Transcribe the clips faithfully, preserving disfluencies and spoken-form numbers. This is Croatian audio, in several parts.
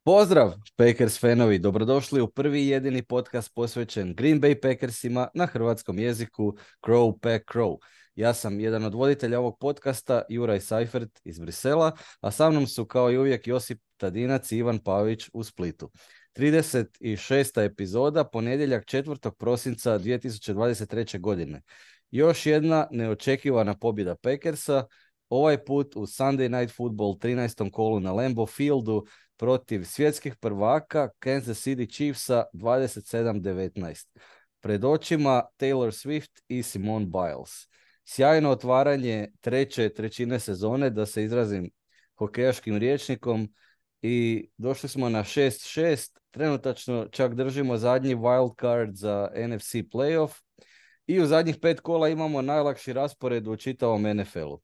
Pozdrav, Packers fanovi, dobrodošli u prvi i jedini podcast posvećen Green Bay Packersima na hrvatskom jeziku Crow Pack Crow. Ja sam jedan od voditelja ovog podcasta, Juraj Seifert iz Brisela, a sa mnom su kao i uvijek Josip Tadinac i Ivan Pavić u Splitu. trideset šesta epizoda, ponedjeljak četvrtog prosinca dvije tisuće dvadeset treće. godine. Još jedna neočekivana pobjeda Packersa, ovaj put u Sunday Night Football trinaestom kolu na Lambeau Fieldu protiv svjetskih prvaka Kansas City Chiefsa dvadeset sedam devetnaest. Pred očima Taylor Swift i Simone Biles. Sjajno otvaranje treće trećine sezone, da se izrazim hokejaškim rječnikom, i došli smo na šest šest. Trenutačno čak držimo zadnji wild card za N F C playoff i u zadnjih pet kola imamo najlakši raspored u čitavom N F L-u.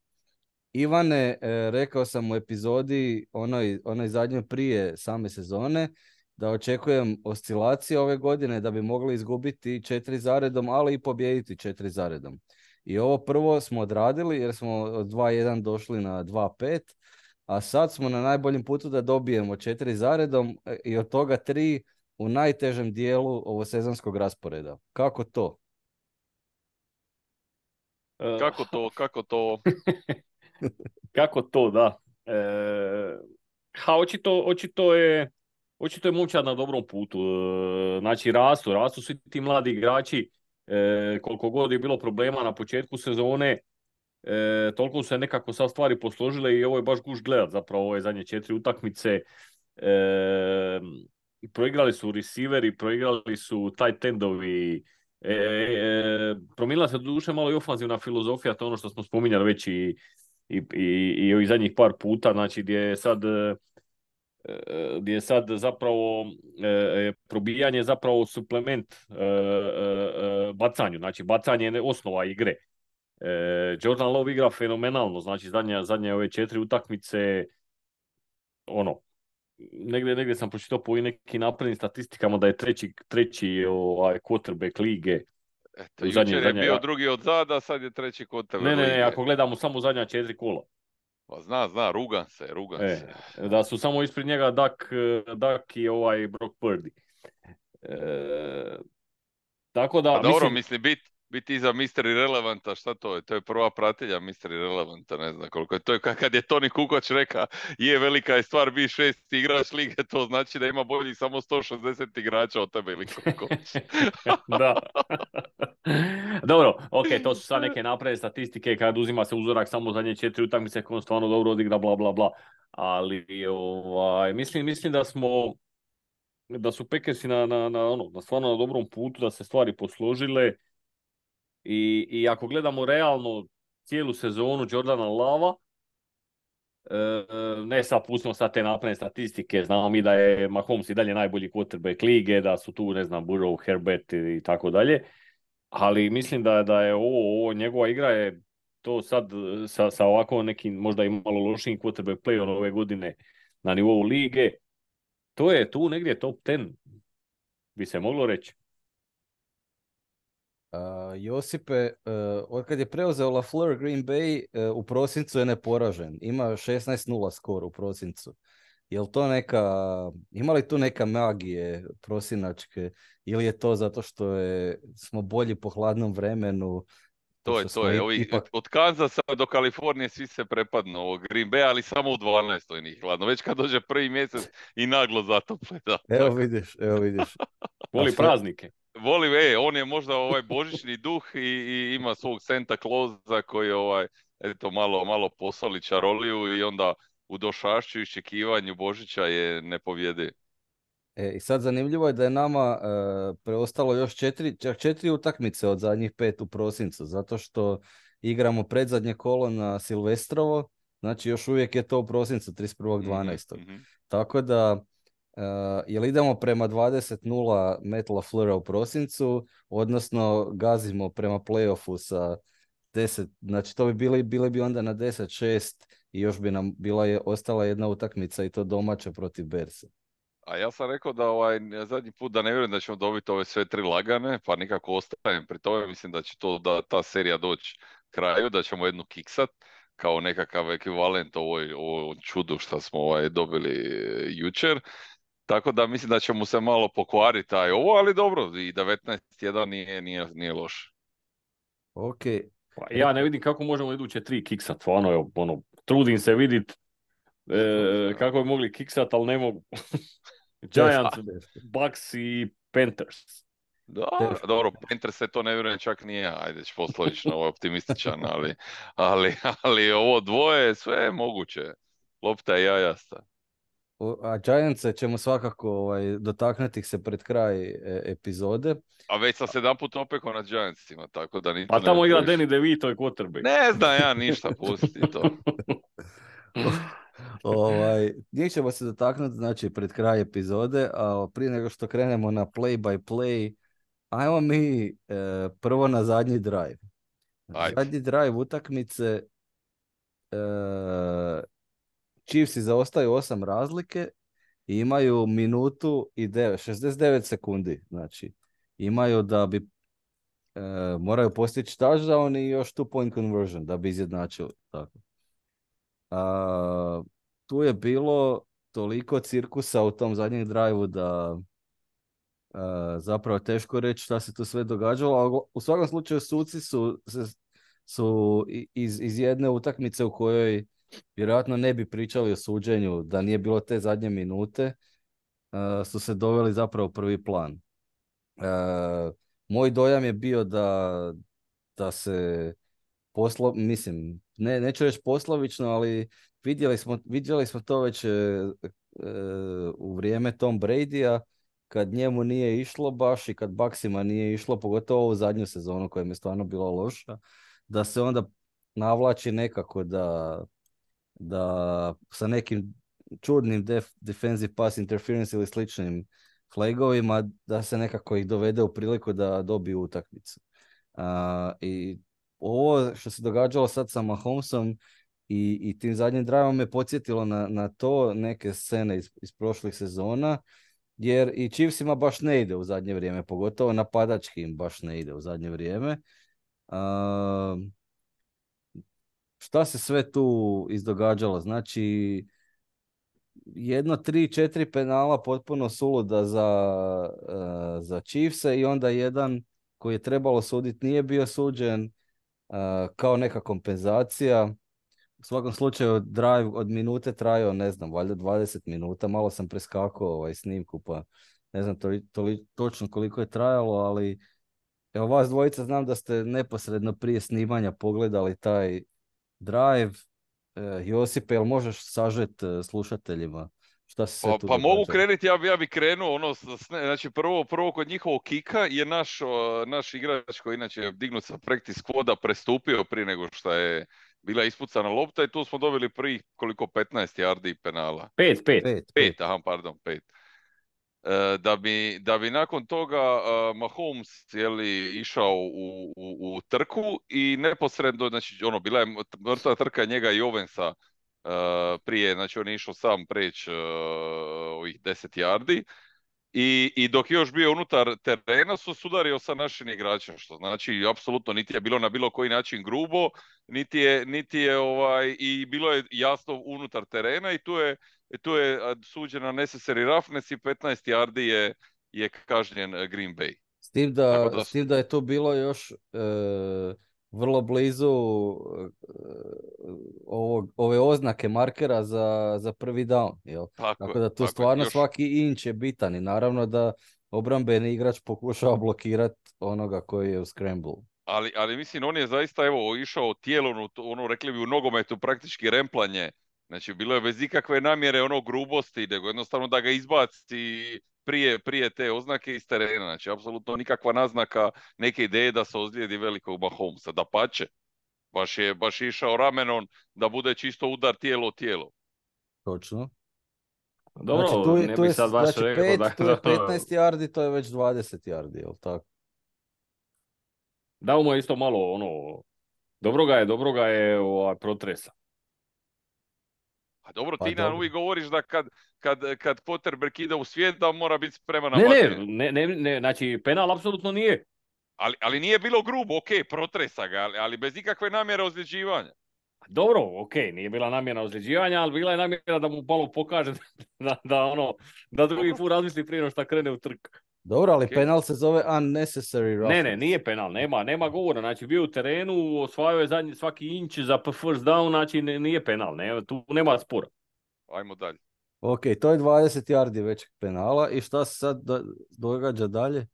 Ivane, e, rekao sam u epizodi onoj, onoj zadnjoj prije same sezone da očekujem oscilacije ove godine, da bi mogli izgubiti četiri zaredom, ali i pobijediti četiri zaredom. I ovo prvo smo odradili jer smo od dva jedan došli na dva pet, a sad smo na najboljem putu da dobijemo četiri zaredom i od toga tri u najtežem dijelu ovosezonskog rasporeda. Kako to? Kako to, kako to? Kako to, da. E, ha, očito, očito je očito je momčad na dobrom putu. E, znači, rastu, rastu svi ti mladi igrači. E, koliko god je bilo problema na početku sezone, e, toliko su se nekako sad stvari posložile i ovo je baš guš gledat zapravo ove zadnje četiri utakmice. E, proigrali su receiveri, proigrali su tight endovi. E, e, promijenila se duše malo i ofanzivna filozofija, to je ono što smo spominjali već i i, i, i ovih zadnjih par puta, znači gdje je sad, gdje je sad zapravo e, probijanje zapravo suplement e, e, bacanju, znači bacanje je osnova igre. E, Jordan Love igra fenomenalno, znači zadnje, zadnje ove četiri utakmice, ono, negdje, negdje sam pročitao po nekim naprednim statistikama da je treći, treći ovaj, quarterback lige. Eto, jučer zadnje, je zadnje, bio drugi od zada, sad je treći quarterback lige. Ne, ne, lige. ne, ako gledamo samo zadnja četiri kola. Pa zna, zna, rugan se, rugan e, se. Da su samo ispred njega Dak, Dak i ovaj Brock Purdy. E, tako da, pa dobro, mislim... mislim, bit, biti iza mister Irrelevanta, šta to je? To je prva pratilja mister Irrelevanta, ne znam koliko je. To je kad je Toni Kukoč reka, je velika je stvar biti šest igrač lige, to znači da ima boljih samo sto šezdeset igrača od tebe ili koliko. Da. Dobro, ok, to su sad neke napredne statistike kad uzima se uzorak samo zadnje četiri utakmice koje on stvarno dobro odigra, bla bla bla. Ali ovaj, mislim, mislim da smo da su Packersi na, na, na, ono, na stvarno na dobrom putu, da se stvari posložile. I, i ako gledamo realno cijelu sezonu Jordana Lava, e, ne sad pustimo sad te napredne statistike, znamo mi da je Mahomes i dalje najbolji quarterback lige, da su tu, ne znam, Burrow, Herbert i tako dalje, ali mislim da, da je ovo, ovo njegova igra je to sad sa, sa ovako nekim možda i malo lošim quarterback play ove godine na nivou lige, to je tu negdje top deset, bi se moglo reći. Uh, Josipe, uh, od kad je preuzeo LaFleur Green Bay, uh, u prosincu je neporažen. Ima šesnaest nula skor u prosincu. Jel to neka, ima li tu neka magije prosinačke, ili je to zato što je, smo bolji po hladnom vremenu? To je, to je. Ovi, ipak... Od Kanzasa do Kalifornije svi se prepadnu ovog Green Bay, ali samo u dvanaestoj njih hladno. Već kad dođe prvi mjesec i naglo zatople. Da, evo tako. vidiš, evo vidiš. Voli praznike. Voli, e, on je možda ovaj božićni duh i, i ima svog Santa Clausa koji ovaj, eto, malo, malo posoli čaroliju i onda u došašću i iščekivanju Božića je nepovjediv. E, i sad zanimljivo je da je nama e, preostalo još četiri, čak četiri utakmice od zadnjih pet u prosincu, zato što igramo predzadnje kolo na Silvestrovo, znači još uvijek je to u prosincu trideset prvog dvanaestog Mm-hmm. Tako da, e, jel idemo prema dvadeset nula Matt LaFleura u prosincu, odnosno gazimo prema playoffu sa deset, znači to bi bili, bili bi onda na deset šest i još bi nam bila je, ostala jedna utakmica i to domaća protiv Bearsa. A ja sam rekao da ovaj zadnji put da ne vjerujem da ćemo dobiti ove sve tri lagane, pa nikako ostajem pri tome. Mislim da će to da ta serija doći kraju, da ćemo jednu kiksat kao nekakav ekvivalent ovoj, ovoj čudu što smo ovaj dobili jučer. tako da mislim da će mu se malo pokvariti taj ovo, ali dobro, i devetnaest jedan nije, nije, nije loše. Ok. Pa ja ne vidim kako možemo iduće tri kiksat, stvarno, evo, ono, trudim se vidit e, kako bi mogli kiksat, ali ne mogu. Giants, Bucks i Panthers. Da, Teško. dobro, Panthers se to ne vjerujem čak nije, ajde, poslovično, ovo je optimističan, ali, ali, ali ovo dvoje, sve je moguće. Lopta je jajasta. O- A Giantse ćemo svakako ovaj, dotaknuti ih se pred kraj e, epizode. A već sam se jedan put opekao na Giantsima, tako da niti Pa ne tamo igra previše. Danny DeVito i quarterback. Ne znam ja ništa, pusti to. ovaj, njih ćemo se dotaknuti znači pred kraj epizode, a prije nego što krenemo na play by play, ajmo mi e, prvo na zadnji drive. Ajde. Zadnji drive utakmice, e, Chiefsi zaostaju osam razlike i imaju minutu i devet, šezdeset devet sekundi. Znači, imaju da bi e, moraju postići touchdown i još two point conversion da bi izjednačili. Tako. A, tu je bilo toliko cirkusa u tom zadnjem drive-u da a, zapravo teško reći šta se tu sve događalo, ali u svakom slučaju suci su, se, su i- iz, iz jedne utakmice u kojoj vjerojatno ne bi pričali o suđenju da nije bilo te zadnje minute, a, su se doveli zapravo u prvi plan. A, moj dojam je bio da, da se poslo, mislim, ne, neću reći poslovično, ali vidjeli smo, vidjeli smo to već e, e, u vrijeme Tom Bradya, kad njemu nije išlo baš i kad Bucksima nije išlo, pogotovo u zadnju sezonu koja mi je stvarno bila loša, da se onda navlači nekako da, da sa nekim čudnim def, defensive pass interference ili sličnim flagovima, da se nekako ih dovede u priliku da dobiju utakmicu. A, I ovo što se događalo sad sa Mahomesom i, i tim zadnjim driveom me podsjetilo na, na to neke scene iz, iz prošlih sezona, jer i Chiefsima baš ne ide u zadnje vrijeme, pogotovo napadački im baš ne ide u zadnje vrijeme. A, šta se sve tu izdogađalo? Znači, jedno, tri, četiri penala potpuno suluda za, uh, za Chiefse i onda jedan koji je trebalo suditi nije bio suđen uh, kao neka kompenzacija. U svakom slučaju drive od minute trajao, ne znam, valjda dvadeset minuta. Malo sam preskakao ovaj snimku, pa ne znam toli, toli, točno koliko je trajalo, ali evo vas dvojica znam da ste neposredno prije snimanja pogledali taj drive. E, Josipe, jel možeš sažet e, slušateljima šta se sve Pa, tu pa događalo? mogu krenuti, ja bi, ja bi krenuo, ono, s- s- ne, znači prvo, prvo kod njihovog kika je naš, o, naš igrač koji inače je dignut sa practice squada prestupio prije nego što je bila ispucana lopta i tu smo dobili prvih koliko petnaest yardi penala. Pet, pet. Pet, pet. Pet, aha, pardon, pet. E, da bi, da bi nakon toga uh, Mahomes je li, išao u, u, u trku i neposredno, znači ono, bila je mrtva trka njega i Owensa uh, prije, znači on je išao sam preći uh, ovih deset yardi i, i dok je još bio unutar terena su sudario sa našim igračem, što znači apsolutno niti je bilo na bilo koji način grubo, niti je, niti je ovaj, i bilo je jasno unutar terena i tu je tu je suđena necessary roughness i petnaest yardi je, je kažnjen Green Bay. S tim da, Tako da s su- tim da je to bilo još e, vrlo blizu e, ovog, ove oznake markera za, za prvi down. Jel? Tako, Tako je, da tu tako je. stvarno Još- svaki inč je bitan i naravno da obrambeni igrač pokušava blokirati onoga koji je u scramble. ali, ali mislim, on je zaista evo išao tijelom, ono rekli bi u nogometu praktički remplanje. Znači, bilo je bez ikakve namjere ono grubosti, nego jednostavno da ga izbaci prije, prije te oznake iz terena. Znači, apsolutno nikakva naznaka neke ideje da se ozlijedi velikog Mahomesa. Dapače, baš je, baš je išao ramenom da bude čisto udar tijelo tijelo. Točno. Dobro, Znači, tu, je- ne tu bi je, sad baš znači rekao pet, da... tu je petnaest yardi, to je već dvadeset yardi, jel tako? Dao mu je isto malo, ono... Dobro ga je, dobro ga je ovaj, protresa. A dobro, Pa ti nam dobro. uvijek govoriš da kad, kad, kad Potterberg ide u svijet da mora biti spreman na Ne, ne, vatre. ne, ne, ne, znači penal apsolutno nije. Ali, ali nije bilo grubo, ok, protresa ga, ali, ali bez ikakve namjere ozljeđivanja. Dobro, ok, nije bila namjera ozljeđivanja, ali bila je namjera da mu malo pokaže da, da, ono, da drugi Dobro. put razmisli prije no šta krene u trk. Dobro, ali Ok. penal se zove unnecessary roughness. Ne, ne, nije penal, nema, nema govora, znači bio u terenu, osvajao je zadnji svaki inč za first down, znači ne, nije penal, ne, tu nema spora. Ajmo dalje. Ok, to je dvadeset yardi većeg penala i šta se sad do- događa dalje?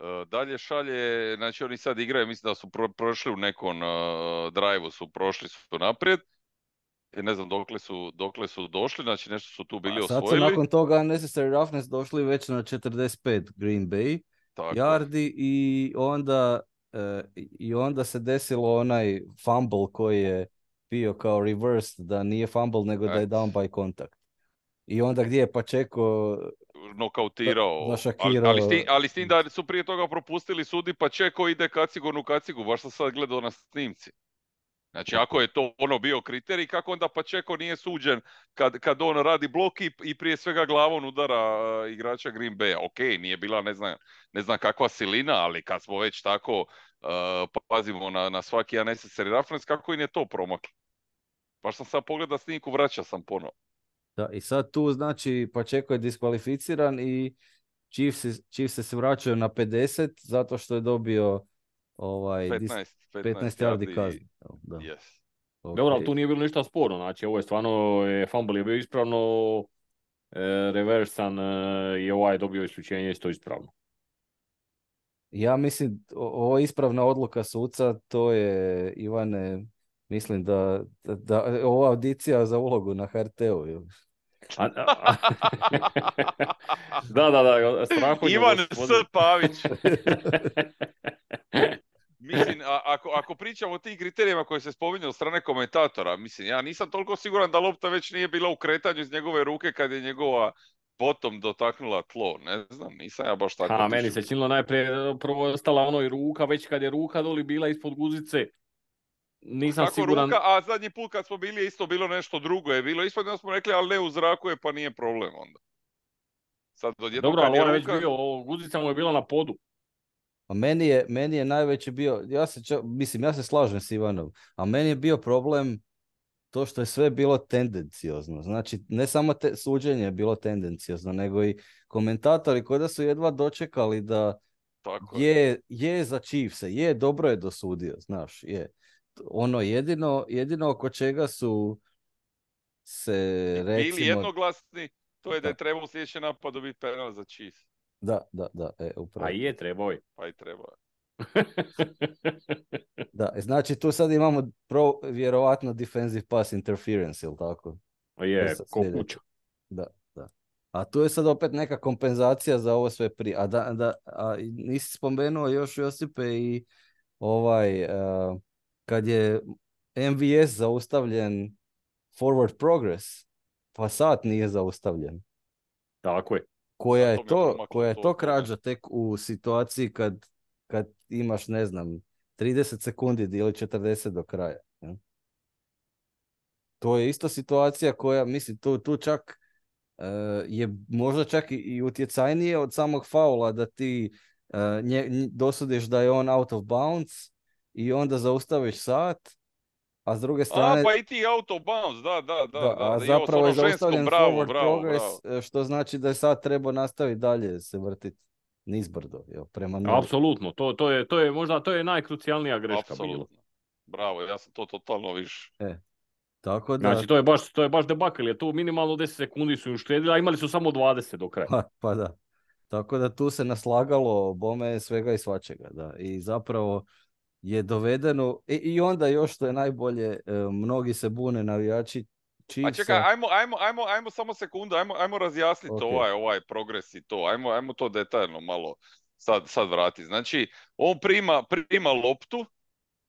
E, dalje šalje, znači oni sad igraju, mislim da su pro, prošli u nekom uh, drive-u, su prošli su naprijed. I ne znam dokle su, dokle su došli, znači nešto su tu bili A sad su osvojili. nakon toga unnecessary roughness došli već na četrdeset pet Green Bay Tako je. yardi i onda, e, i onda se desilo onaj fumble koji je bio kao reversed, da nije fumble nego da je Et. down by contact. I onda gdje je Pacheco Nokautirao, zašakirao. ali, ali, s tim, ali s tim da su prije toga propustili sudi, pa Čeko ide kacigonu kacigu, baš sam sad gledao na snimci. Znači, ako je to ono bio kriterij, kako onda Pacheco nije suđen kad, kad on radi blok i, i prije svega glavom udara uh, igrača Green Bay. Ok, nije bila ne znam, ne znam kakva silina, ali kad smo već tako uh, pazimo na, na svaki unnecessary roughness, kako im je to promaklo? Baš sam sad pogledao snimku, vraća sam ponovo. Da, i sad tu znači Pacheco je diskvalificiran i Chiefs, Chiefs se vraćaju na pedeset zato što je dobio ovaj, dis- petnaest, petnaest yardi kaznu. Da. Yes. Ok. Dobro, ali tu nije bilo ništa sporno, znači ovo je stvarno, je, fumble je bio ispravno, e, reversan e, i ovaj je dobio isključenje isto ispravno. Ja mislim, o- ovo je ispravna odluka suca, to je, Ivane, mislim da, da, da ova audicija za ulogu na H R T-u. jel? A, a, a, da, da, da, strahotnje Ivan gospodin. S. Pavić. Mislim, a, ako, ako pričamo o tim kriterijima koji se spominju od strane komentatora, mislim, ja nisam toliko siguran da lopta već nije bila u kretanju iz njegove ruke kad je njegova bottom dotaknula tlo. Ne znam, nisam ja baš tako A, meni otišao. se činilo najprije, prvo je ostala ono i ruka, već kad je ruka doli bila ispod guzice, nisam Kako siguran. ruka, a zadnji put kad smo bili je isto bilo nešto drugo, je bilo ispod, onda smo rekli, ali ne u zraku je, pa nije problem onda. Sad odjednom Dobro, kad ali je on je već ruka... bio, o, guzica mu je bila na podu. A meni je, meni je najveći bio, ja se čak, mislim, ja se slažem s Ivanom, a meni je bio problem to što je sve bilo tendenciozno. Znači, ne samo te, suđenje je bilo tendenciozno, nego i komentatori koji da su jedva dočekali da Tako je. je, je za Chiefse, je, dobro je dosudio, znaš, je. Ono jedino, jedino oko čega su se, Bili recimo... jednoglasni, to je da je Da. trebao u sljedećem napadu biti penal za Chiefs. Da, da, da, e, upravo. A je, trebao je. Pa i treba. Da, e, znači tu sad imamo pro, vjerovatno defensive pass interference, ili tako? A je, To sa- ko sljedeće. kuća. Da, da. A tu je sad opet neka kompenzacija za ovo sve prije. A, da, da, a i nisi spomenuo još, Josipe, i ovaj, uh, kad je M V S zaustavljen forward progress, pa sat nije zaustavljen. Tako je. Koja Sad je to mi je to, promaklo, koja je to- to to krađa tek u situaciji kad, kad imaš, ne znam, trideset sekundi ili četrdeset do kraja. jel? To je isto situacija koja, mislim, tu, tu čak e, je možda čak i, i utjecajnije od samog faula da ti e, nje, nj- dosudiš da je on out of bounds i onda zaustaviš sat, a s druge strane... A, pa i ti auto bounce, da, da, da. Da, da, a da. zapravo I je ovo s onom zaustavljen ženskom, bravo, forward bravo, progress, bravo. e, što znači da je sad trebao nastaviti dalje se vrtiti nizbrdo, jel, prema nuli. Apsolutno, to, to, je, to je možda to je najkrucijalnija greška bila. Apsolutno. Bravo, ja sam to totalno više. Tako da, Znači, to je baš, to je baš debakl, jer tu minimalno deset sekundi su im štedili, a imali su samo dvadeset do kraja. pa, pa da. Tako da tu se naslagalo bome svega i svačega, da. I zapravo je dovedeno, i, i onda još što je najbolje, e, mnogi se bune navijači A Chiefsa. čekaj, ajmo, ajmo, ajmo, ajmo samo sekundu, ajmo, ajmo razjasniti Ok. ovaj, ovaj progres i to. Ajmo, ajmo to detaljno malo sad, sad vratiti. Znači, on prima, prima loptu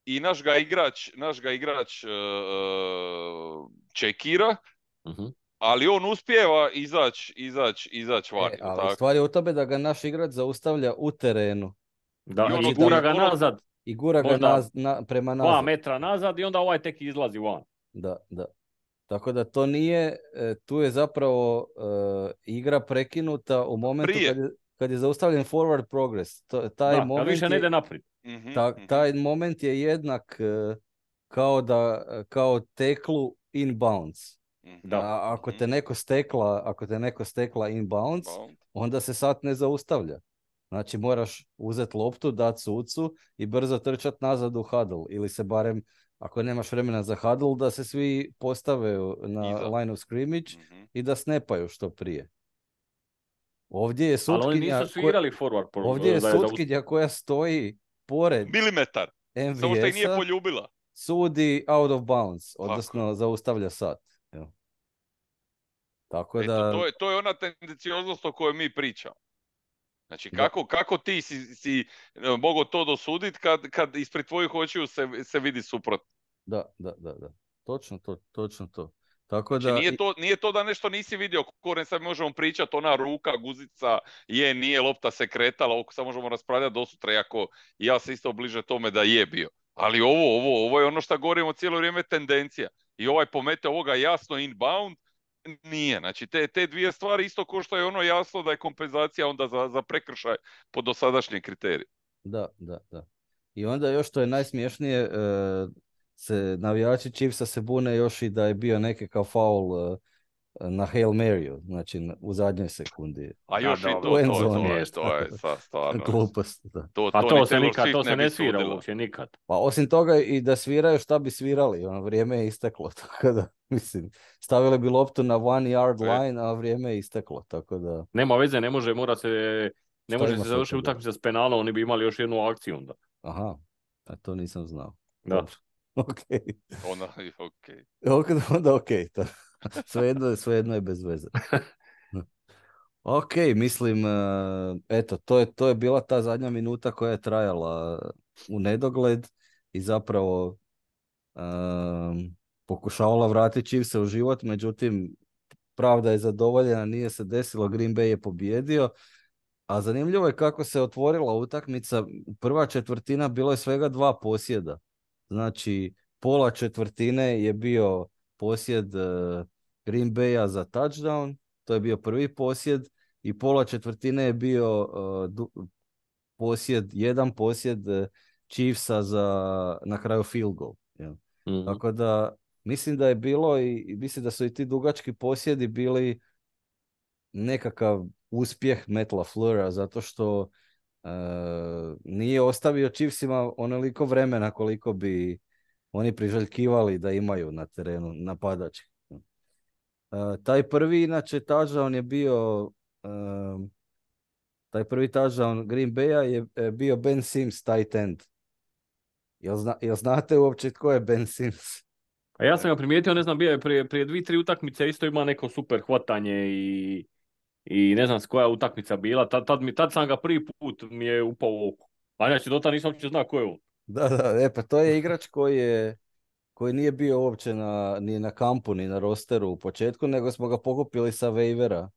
i naš ga igrač, naš ga igrač uh, čekira, Mhm. ali on uspijeva izaći izać, izać van. E, jel ali tako? stvar je u tome da ga naš igrač zaustavlja u terenu Da, I ono i gura da- ga ono- nazad, i gura ga Možda naz- na, prema dva nazad. metra nazad i onda ovaj tek izlazi van. Da, da. Tako da to nije, e, tu je zapravo e, igra prekinuta u momentu Prije. kad je, kad je zaustavljen forward progress. To, taj Da, kad moment više ne e, je, ide naprijed. Mhm, ta- mhm. taj moment je jednak e, kao da, kao teklu inbounds. Mhm, Da. A ako mhm. te neko stekla, ako te neko stekla inbounds, Inbound. onda se sat ne zaustavlja. Znači moraš uzeti loptu, dati sucu i brzo trčati nazad u huddle. Ili se barem, ako nemaš vremena za huddle, da se svi postave na Iza. line of scrimmage Mhm. i da snapaju što prije. Ovdje je Ali oni sutkinja, nisu svirali forward. ko, ovdje je da je sutkinja koja stoji pored Milimetar. Samo što ih nije M V S-a, poljubila. sudi out of bounds, Tako odnosno zaustavlja sat. Evo. Tako Eto, da, to je, to je ona tendencioznost o kojoj mi pričamo. Znači, Da. kako, kako ti si, si e, mogao to dosuditi kad, kad ispred tvojih očiju se, se vidi suprotno? da, da, da, da. Točno to, točno to. Tako Znači, da, nije i- to, nije to da nešto nisi vidio, koren sad možemo pričati, ona ruka, guzica, je, nije, lopta se kretala, oko sad možemo raspravljati do sutra, iako ja se isto bliže tome da je bio. Ali ovo, ovo, ovo je ono što govorimo cijelo vrijeme, tendencija. I ovaj pomete ovoga jasno inbound, nije. Znači, te, te dvije stvari isto ko što je ono jasno da je kompenzacija onda za, za prekršaj po dosadašnjem kriteriju. da, da, da. I onda još što je najsmiješnije, e, se navijači Chiefsa se bune još i da je bio nekakav faul e, na Hail Maryu, znači na- u zadnjoj sekundi. A Da, još da, i u to, to, end to, je, zone. to je sa stvarno. Glupost, da. To, Pa to, to ni se Taylor nikad, to Swift se ne bi ne svira sudila. uopće nikad. Pa osim toga i da sviraju šta bi svirali, ono vrijeme je isteklo, tako da, mislim, stavili bi loptu na one yard E. line, a vrijeme je isteklo, tako da, Nema veze, ne može, mora se, ne Šta može ima se sa završiti toga? utakmica s penalom, oni bi imali još jednu akciju onda. aha, a to nisam znao. Da. Dobro, ok. Ona, ok. Ok, onda ok, to, svejedno, svejedno je bez veze. Ok, mislim, eh, eto, to je, to je bila ta zadnja minuta koja je trajala u nedogled i zapravo ehm, pokušavala vratiti Chiefse u život, međutim, pravda je zadovoljena, nije se desilo, Green Bay je pobjedio, a zanimljivo je kako se otvorila utakmica, prva četvrtina bilo je svega dva posjeda, znači pola četvrtine je bio posjed eh, Green Baya za touchdown, to je bio prvi posjed, i pola četvrtine je bio uh, du- posjed, jedan posjed uh, Chiefsa za na kraju field goal. jel. Mhm. Tako da mislim da je bilo i i mislim da su i ti dugački posjedi bili nekakav uspjeh Matt LaFleura zato što uh, nije ostavio Chiefsima onoliko vremena koliko bi oni priželjkivali da imaju na terenu napadački. Uh, taj prvi inače touchdown je bio um, taj prvi touchdown Green Baya je e, bio Ben Sims, tight end. Jel, zna, jel znate uopće tko je Ben Sims? A ja sam ga primijetio, ne znam, bio je prije, prije dvije, tri utakmice, isto ima neko super hvatanje i, i ne znam s koja je utakmica bila. Tad, tad, mi, tad sam ga prvi put mi je upao u oko. A inače, do tada nisam uopće znao ko je on. Da, da, e pa to je igrač koji je koji nije bio uopće na, ni na kampu, ni na rosteru u početku, nego smo ga pokupili sa waivera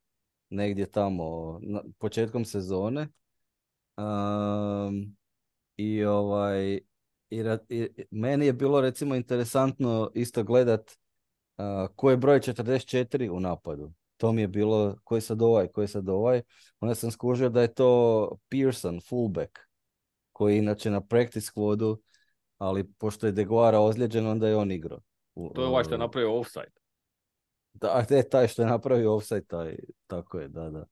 negdje tamo na, početkom sezone. Um, I ovaj i, ra- i- meni je bilo recimo interesantno isto gledat uh, ko je broj četrdeset četiri u napadu. To mi je bilo, ko je sad ovaj, ko je sad ovaj. Onda sam skužio da je to Pearson, fullback, koji je inače na practice squadu, ali pošto je Deguara ozlijeđen, onda je on igrao. U- To je ovaj što je uh, napravio offside. Da, te, taj što je napravio offside, taj, tako je, da, da.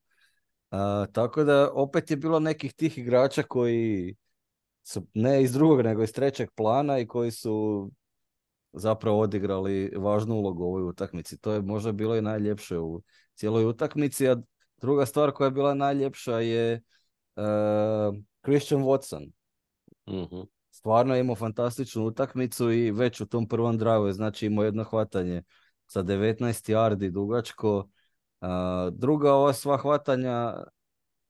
A, tako da opet je bilo nekih tih igrača koji su ne iz drugog, nego iz trećeg plana i koji su zapravo odigrali važnu ulogu u ovoj utakmici. To je možda bilo i najljepše u cijeloj utakmici, a druga stvar koja je bila najljepša je uh, Christian Watson. Mhm. Stvarno je imao fantastičnu utakmicu i već u tom prvom drive, znači imao jedno hvatanje sa devetnaest yardi dugačko. Uh, druga ova sva hvatanja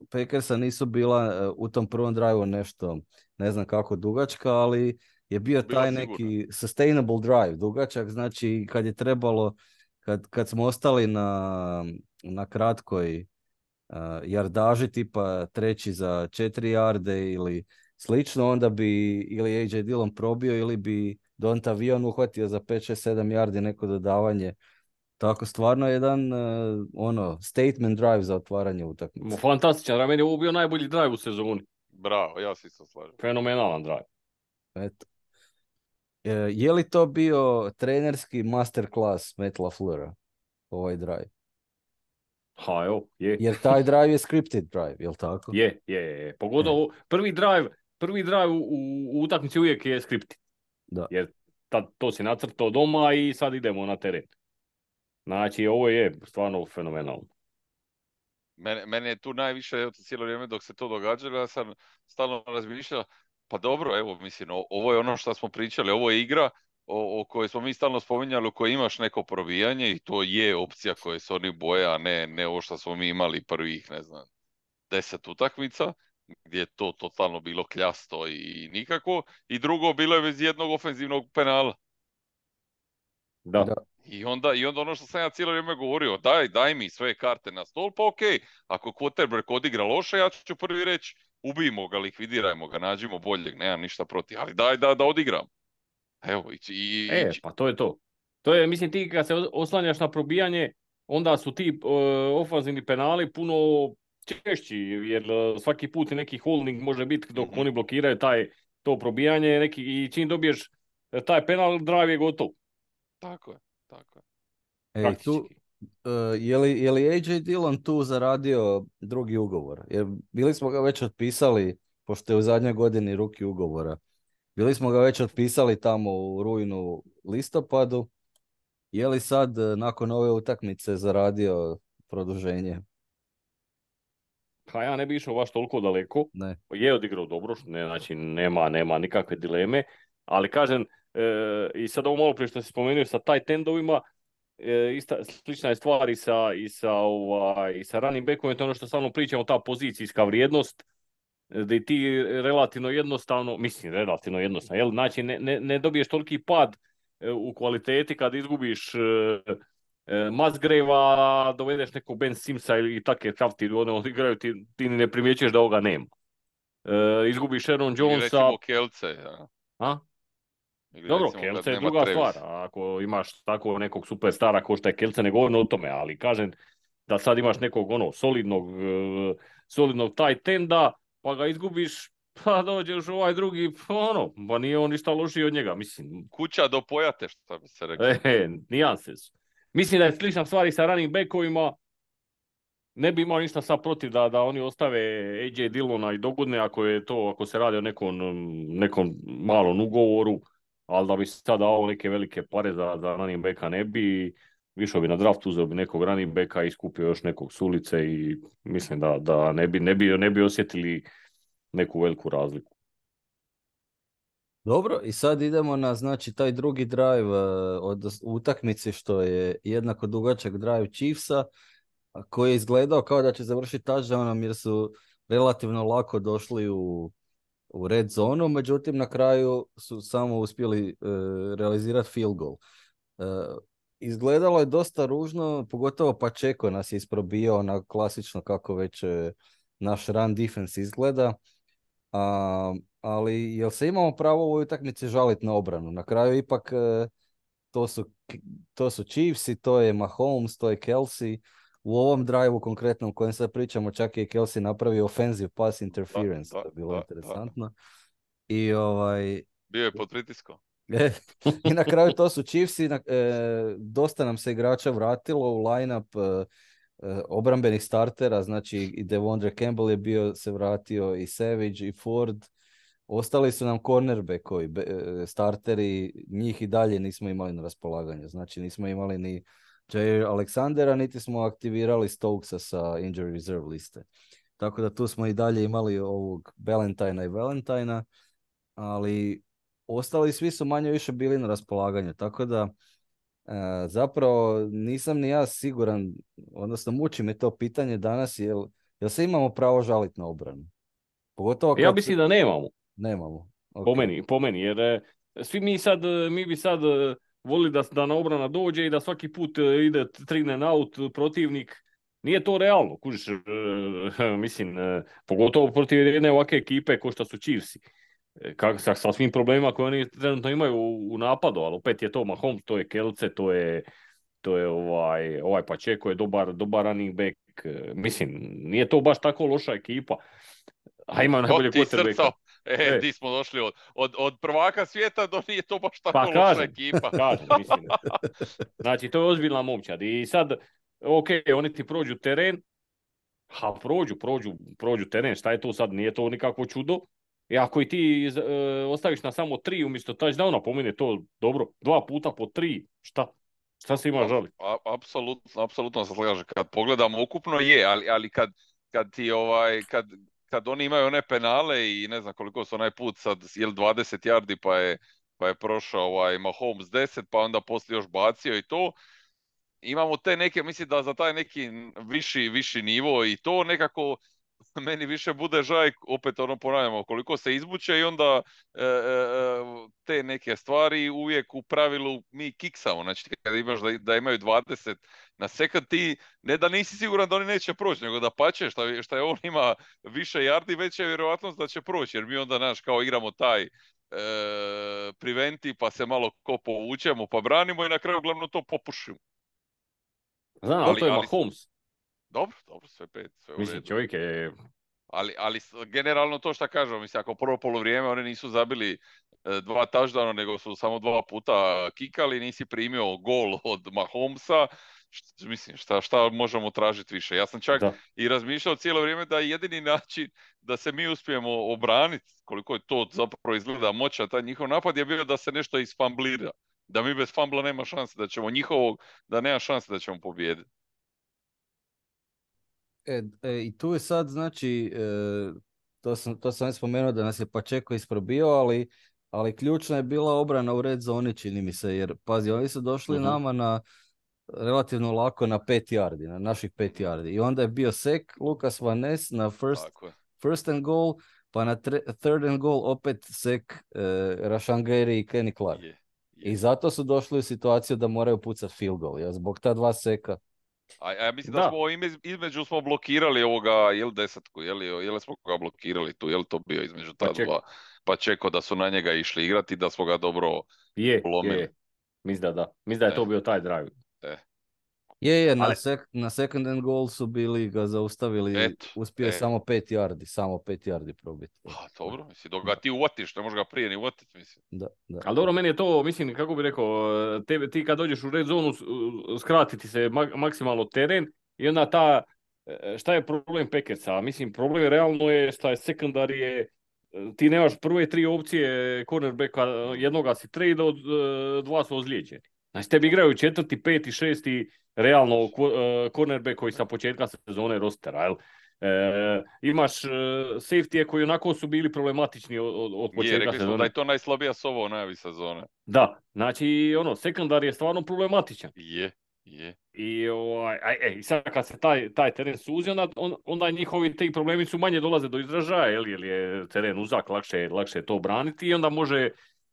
Packersa nisu bila uh, u tom prvom drive nešto, ne znam kako dugačka, ali je bio Bila taj sigurna. neki sustainable drive, dugačak, znači kad je trebalo, kad, kad smo ostali na, na kratkoj uh, jardaži, tipa treći za četiri jarde ili slično, onda bi ili A J Dillon probio ili bi Donta Vion uhvatio za pet, šest, sedam yardi neko dodavanje. Tako stvarno jedan uh, ono statement drive za otvaranje utakmice. Fantastičan, meni je ovo bio najbolji drive u sezoni. Bravo, ja se isto slažem. Fenomenalan drive. Eto. je li to bio trenerski masterclass Matt LaFleura, ovaj drive? Ha, evo, je. Jer taj drive je scripted drive, jel tako? Je, je, je. Pogotovo prvi drive, prvi drive u, u utakmici uvijek je scripted. Da. Jer tad, to si nacrtao doma i sad idemo na teren. Znači, ovo je stvarno fenomenalno. Mene, mene je tu najviše, evo, cijelo vrijeme dok se to događalo, ja sam stalno razmišljao, pa dobro, evo, mislim, o, ovo je ono što smo pričali, ovo je igra o, o kojoj smo mi stalno spominjali, u kojoj imaš neko probijanje i to je opcija koje se oni boje, a ne, ne ovo što smo mi imali prvih, ne znam, deset utakmica, gdje je to totalno bilo kljasto i nikako, i drugo, bilo je bez jednog ofenzivnog penala. Da. Da. I onda, I onda ono što sam ja cijelo vrijeme govorio, daj, daj mi sve karte na stol, pa okej, ako quarterback odigra loše, ja ću prvi reći, ubijmo ga, likvidirajmo ga, nađimo boljeg, nemam ništa protiv, ali daj da, da odigram. Evo, i, i, E, i, pa to je to. To je, mislim, ti kad se oslanjaš na probijanje, onda su ti uh, ofanzivni penali puno češći, jer uh, svaki put neki holding može biti dok Mhm. oni blokiraju taj, to probijanje neki, i čim dobiješ taj penal, drive je gotov, tako je, tako je. Ej, tu, praktički. uh, je, li, je li A J Dillon tu zaradio drugi ugovor? Jer bili smo ga već otpisali, pošto je u zadnjoj godini ruki ugovora. Bili smo ga već otpisali tamo u rujnu, listopadu. Je li sad uh, nakon ove utakmice zaradio produženje? Pa ja ne bi išao baš toliko daleko. Ne. Je odigrao dobro, ne, znači nema, nema nikakve dileme, ali kažem, e, i sad ovo malo prije što si spomenuo sa tight endovima, e, ista, slična je stvar i sa, i sa, ovaj, i sa running backom, je to ono što stalno pričamo, ta pozicijska vrijednost, da ti relativno jednostavno, mislim relativno jednostavno, jel? Znači ne, ne, ne dobiješ toliki pad e, u kvaliteti kad izgubiš e, e, Musgrave-a, dovedeš nekog Ben Simsa ili take kafti, ono igraju, ti, ti ne primjećuješ da ovoga nema. E, izgubiš Aaron Ili Jonesa. recimo Kelce, ja. A? Ili Dobro, recimo kad Kelce je nema druga Travis. stvar. Ako imaš tako nekog superstara ko što je Kelce, ne govorim o tome, ali kažem da sad imaš nekog ono solidnog, e, solidnog tight enda, pa ga izgubiš, pa dođeš u ovaj drugi, pa ono, pa nije on ništa lošiji od njega, mislim. Kuća do pojate, što bi se reklo. E, nijanse su. Mislim da je slična stvar i sa running backovima. Ne bi imao ništa sad protiv da, da oni ostave A J Dillona i dogodne ako je to, ako se radi o nekom, nekom malom ugovoru, ali da bi sad dao neke velike pare za, za running backa ne bi, išao bi na draft, uzeo bi nekog running backa i skupio još nekog s ulice i mislim da, da ne, bi, ne, bi, ne bi osjetili neku veliku razliku. Dobro, i sad idemo na, znači, taj drugi drive uh, od utakmice, što je jednako dugačak drive Chiefsa, a koji je izgledao kao da će završiti touchdownom jer su relativno lako došli u, u red zonu, međutim na kraju su samo uspjeli uh, realizirati field goal. Uh, izgledalo je dosta ružno, pogotovo Pacheco nas je isprobio na klasično kako već uh, naš run defense izgleda. A, ali jel se imamo pravo u ovoj utakmici žaliti na obranu? Na kraju ipak uh, to su, to su Chiefsi, to je Mahomes, to je Kelsey. U ovom drive-u konkretnom kojem sad pričamo, čak je i Kelsey napravio offensive pass interference, Da, da, to je bilo da, interesantno. I ovaj... Bio je pod pritiskom. I na kraju to su Chiefsi, na, e, dosta nam se igrača vratilo u line-up e, e, obrambenih startera, znači i Devondre Campbell je bio, se vratio, i Savage i Ford. Ostali su nam cornerbackovi, starteri, njih i dalje nismo imali na raspolaganju. Znači nismo imali ni Jair Alexandera, niti smo aktivirali Stokesa sa injury reserve liste. Tako da tu smo i dalje imali ovog Valentina i Valentina, ali ostali svi su manje više bili na raspolaganju. Tako da e, zapravo nisam ni ja siguran, odnosno muči me to pitanje danas, jel, jel se imamo pravo žaliti na obranu? Pogotovo Ja kad... mislim da nemamo. Nemamo. Okay. Po meni, po meni, jer e, svi mi sad, mi bi sad e, volili da, da na obrana dođe i da svaki put e, ide three and out protivnik. Nije to realno, kužiš, e, mislim, e, pogotovo protiv jedne ovakve ekipe ko što su Chiefsi. E, kak, sa, sa svim problemima koje oni trenutno imaju u, u napadu, ali opet je to Mahomes, to je Kelce, to je, to je ovaj, ovaj Pacheco je dobar, dobar running back. E, mislim, nije to baš tako loša ekipa. A ima najbolje ti quarterbacka. srcao, E, E. di smo došli od, od, od prvaka svijeta do nije to baš tako Pa loša kažem, ekipa. kažem, mislim. Znači, to je ozbiljna momčad. I sad, ok, oni ti prođu teren, ha, prođu, prođu, prođu teren, šta je to sad, nije to nikakvo čudo. I ako i ti e, ostaviš na samo tri umjesto touchdowna, po meni je to dobro. Dva puta po tri, šta? Šta se ima žali? A- Apsolutno, apsolutno se slažem. Kad pogledamo ukupno je, ali, ali kad, kad ti ovaj, kad, kad oni imaju one penale i ne znam koliko su onaj put sad, jel dvadeset yardi pa je, pa je prošao ovaj Mahomes deset, pa onda poslije još bacio i to. Imamo te neke, mislim da za taj neki viši, viši nivo i to nekako meni više bude žaj, opet ono ponavljamo, koliko se izbuče i onda e, e, te neke stvari uvijek u pravilu mi kiksamo. Znači kad imaš da, da imaju dvadeset na sekund, ti ne da nisi siguran da oni neće proći, nego da pače šta, šta je on ima više yardi, veća je vjerojatnost da će proći, jer mi onda, znaš, kao igramo taj e, preventi, pa se malo ko povučemo, pa branimo i na kraju glavno to popušimo. Znam, ali to je Mahomes. Dobro, dobro, sve pet, sve u redu. Mislim, čovjek je... Ali, ali generalno to što kažem, mislim, ako prvo polovrijeme oni nisu zabili e, dva touchdowna, nego su samo dva puta kikali, nisi primio gol od Mahomesa, šta, mislim, šta, šta možemo tražiti više? Ja sam čak da. i razmišljao cijelo vrijeme da je jedini način da se mi uspijemo obraniti, koliko je to zapravo izgleda moća, taj njihov napad je bio da se nešto isfamblira. Da mi bez fambla nema šanse, da ćemo njihovog, da nema šanse da ćemo pobijediti. E, e, I tu je sad, znači, e, to sam, to sam spomenuo da nas je Pacheco isprobio, ali, ali ključna je bila obrana u red zoni, čini mi se, jer, pazi, oni su došli uh-huh. nama na relativno lako na pet yardi, na naših pet yardi. I onda je bio sek, Lucas Van Ness na first, first and goal, pa na tre, third and goal opet sek e, Rashan Gary i Kenny Clark. Yeah, yeah. I zato su došli u situaciju da moraju pucati field goal, ja, zbog ta dva seka. A ja mislim da, da smo između smo blokirali ovoga, jel desetku, jel, jel smo ga blokirali tu, jel to bio između ta pa dva, pa čeko da su na njega išli igrati, da smo ga dobro je, polomili. Je, mislim da da, mislim da je e. to bio taj drive. E. Je, je, na, sek, na second and goal su bili ga zaustavili, et, uspio je e. samo pet yardi, samo pet yardi probiti. A, dobro, mislim, dok ga ti uvatiš, ne možeš ga prije ni uvatiti, mislim. Da, da. Ali dobro, meni je to, mislim, kako bi rekao, te, ti kad dođeš u red zonu, skratiti se mak, maksimalno teren i onda ta, šta je problem Packersa? Mislim, problem realno je šta je sekundarije, ti nemaš prve tri opcije cornerbacka, jednoga si trade, od dva su ozlijeđeni. Znači, tebi igraju četvrti, peti, šesti, realno uh, cornerback koji sa početka sezone rostera, jel? E, imaš uh, safety-e koji onako su bili problematični od, od početka je, rekli sezone. Da je to najslabija sova u najavi sezone. Da, znači ono, sekundar je stvarno problematičan. Je, je. I, ovaj, aj, aj, sad kad se taj, taj teren suzi, onda, on, onda njihovi ti problemi su manje dolaze do izražaja, jel, jer je teren uzak, lakše, lakše to braniti i onda može,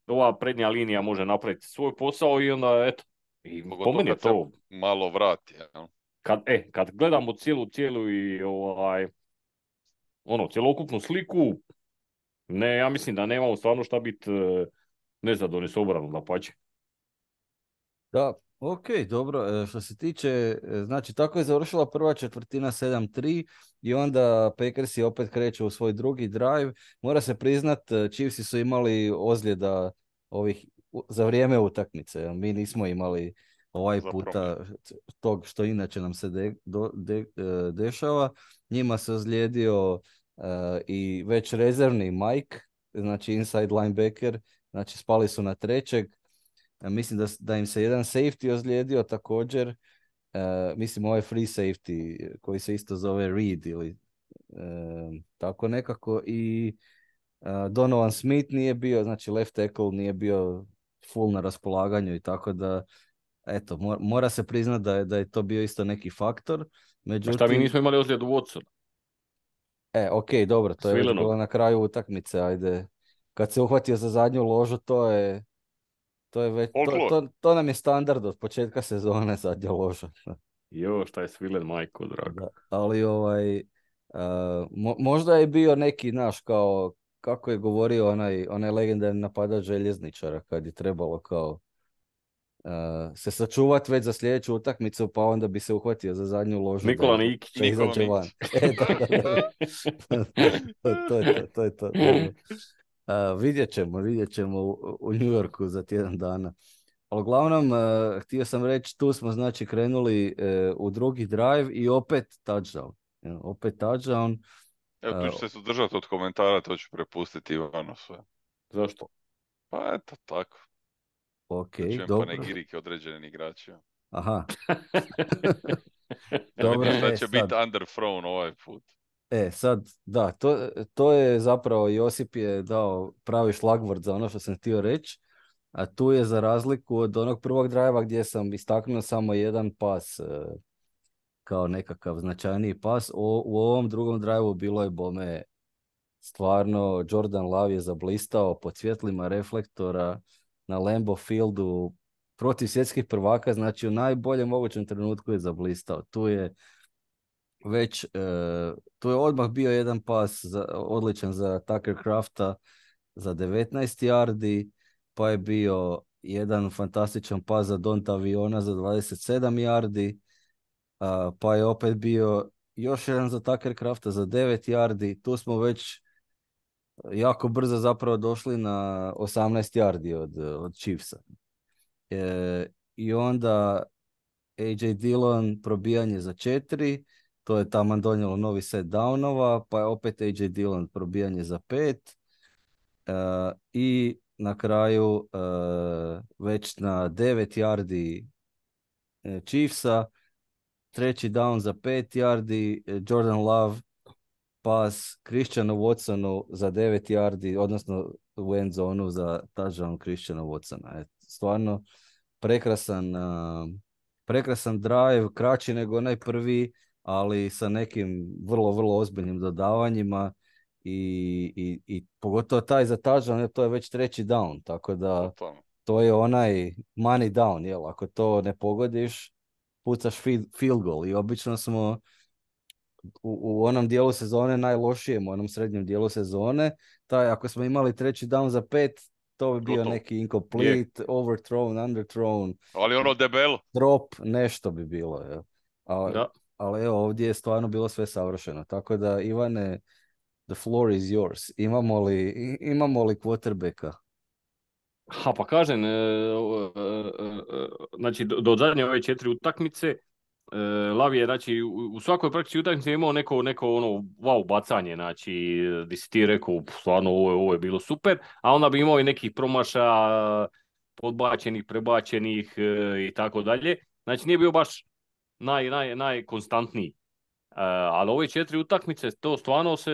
ova prednja linija može napraviti svoj posao i onda, eto, i po meni je to malo vrati, ja. Kad, e, kad gledamo cijelu, cijelu i ovaj, ono, cjelokupnu sliku, ne, ja mislim da nemamo stvarno šta biti nezadovoljni s obranom, dapače. Da, ok, dobro. Što se tiče, znači tako je završila prva četvrtina sedam tri i onda Packersi opet kreću u svoj drugi drive. Mora se priznat, Chiefsi su imali ozljeda ovih za vrijeme utakmice. Mi nismo imali ovaj puta tog što inače nam se de, do, de, dešava. Njima se ozlijedio uh, i već rezervni Mike, znači inside linebacker, znači spali su na trećeg. Uh, mislim da, da im se jedan safety ozlijedio također. Uh, mislim ovaj free safety koji se isto zove Reed ili uh, tako nekako. I uh, Donovan Smith nije bio, znači left tackle nije bio full na raspolaganju i tako da eto, mora se priznati da je, da je to bio isto neki faktor. Međutim... Šta mi nismo imali ozljedu Watson? E, ok, dobro, to Svileno. Je bilo na kraju utakmice, ajde. Kad se uhvatio za zadnju ložu, to je, to je već, to, to, to nam je standard od početka sezone, zadnja loža. Jo, šta je Svilen, majko, drago. Da, ali ovaj, uh, mo, možda je bio neki, naš, kao, kako je govorio onaj, onaj legendarni napadač željezničara, kad je trebalo kao Uh, se sačuvati već za sljedeću utakmicu, pa onda bi se uhvatio za zadnju ložu. Nikola Nikić. Nikola Nikić. E, da, da, da. to, to je to, to je to. Uh, vidjet ćemo, vidjet ćemo u, u New Yorku za tjedan dana. Ali uglavnom, uh, htio sam reći, tu smo znači krenuli uh, u drugi drive i opet touchdown. Ja, opet touchdown. Evo, tu ću se sudržati od komentara, to ću prepustiti Ivanu sve. Zašto? Pa eto, tako. Ok, Čujem dobro. panegirike određenih igrača. Aha. Da Dobro, vidim šta e, će sad. biti underthrown ovaj put. E, sad, da, to, to je zapravo, Josip je dao pravi šlagvort za ono što sam htio reći, a tu je za razliku od onog prvog drajva gdje sam istaknuo samo jedan pas e, kao nekakav značajniji pas, o, u ovom drugom drajvu bilo je bome stvarno, Jordan Love je zablistao pod svjetlima reflektora na Lambeau Fieldu protiv svjetskih prvaka, znači u najboljem mogućem trenutku je zablistao. Tu je već, e, tu je odmah bio jedan pas za, odličan za Tucker Crafta za devetnaest yardi, pa je bio jedan fantastičan pas za Donta Aviona za dvadeset sedam yardi, a, pa je opet bio još jedan za Tucker Crafta za devet yardi. Tu smo već jako brzo zapravo došli na osamnaest yardi od, od Chiefsa. E, I onda A J Dillon probijanje za četiri, to je taman donijelo novi set downova, pa je opet A J Dillon probijanje za pet. E, I na kraju e, već na devet yardi e, Chiefsa, treći down za pet yardi, e, Jordan Love pas Christianu Watsonu za devet yardi, odnosno u end zonu za touchdown Christiana Watsona. E, stvarno prekrasan, uh, prekrasan drive, kraći nego onaj prvi, ali sa nekim vrlo, vrlo ozbiljnim dodavanjima i, i, i pogotovo taj za touchdown, to je već treći down, tako da to je onaj money down, jel? Ako to ne pogodiš, pucaš field, field goal i obično smo U, u onom dijelu sezone najlošijem, u onom srednjem dijelu sezone, taj, ako smo imali treći down za pet, to bi bio Gotovo. neki incomplete, Je. overthrown, underthrown, Ali ono debelo. drop, nešto bi bilo. Je. A, Da. ali evo, ovdje je stvarno bilo sve savršeno. Tako da, Ivane, the floor is yours. Imamo li, i- imamo li quarterbacka? Ha, pa kažem, e, e, e, znači do, do zadnje ove četiri utakmice, e, Lav je, znači, u, u svakoj praktički utakmici imao neko, neko ono wow bacanje, znači, di si ti rekao, "Pff, stvarno ovo je, ovo je bilo super", a onda bi imao i nekih promašaja, podbačenih, prebačenih e, i tako dalje. Znači, nije bio baš naj, naj, najkonstantniji. E, ali ove četiri utakmice, to stvarno se,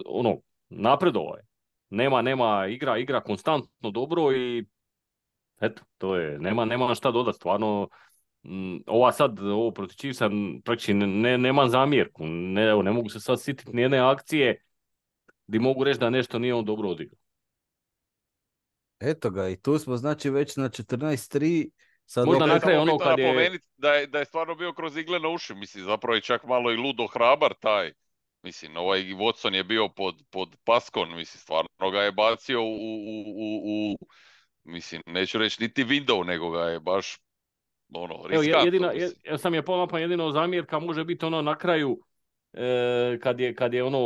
ono, napredovao je. Nema, nema, igra, igra konstantno dobro i eto, to je, nema, nema šta dodati, stvarno, m, ova sad, ovo protiv Chiefsa, praktički ne, ne, nemam zamjerku, ne, evo, ne mogu se sad sjetiti nijedne akcije gdje mogu reći da nešto nije on dobro odigrao. Eto ga, i tu smo znači već na četrnaest tri. Sad Možda opet- na kraju Samo ono bitno kad je- napomenuti da je, da je stvarno bio kroz igle na uši, mislim, zapravo je čak malo i ludo hrabar taj. Mislim, ovaj Watson je bio pod, pod paskon, mislim, stvarno ga je bacio u, u, u, u mislim, neću reći niti window, nego ga je baš, ono, Evo, riskantno, jedina, mislim. ja sam je pomapa, jedino zamjerka može biti ono na kraju, e, kad je, kad je ono,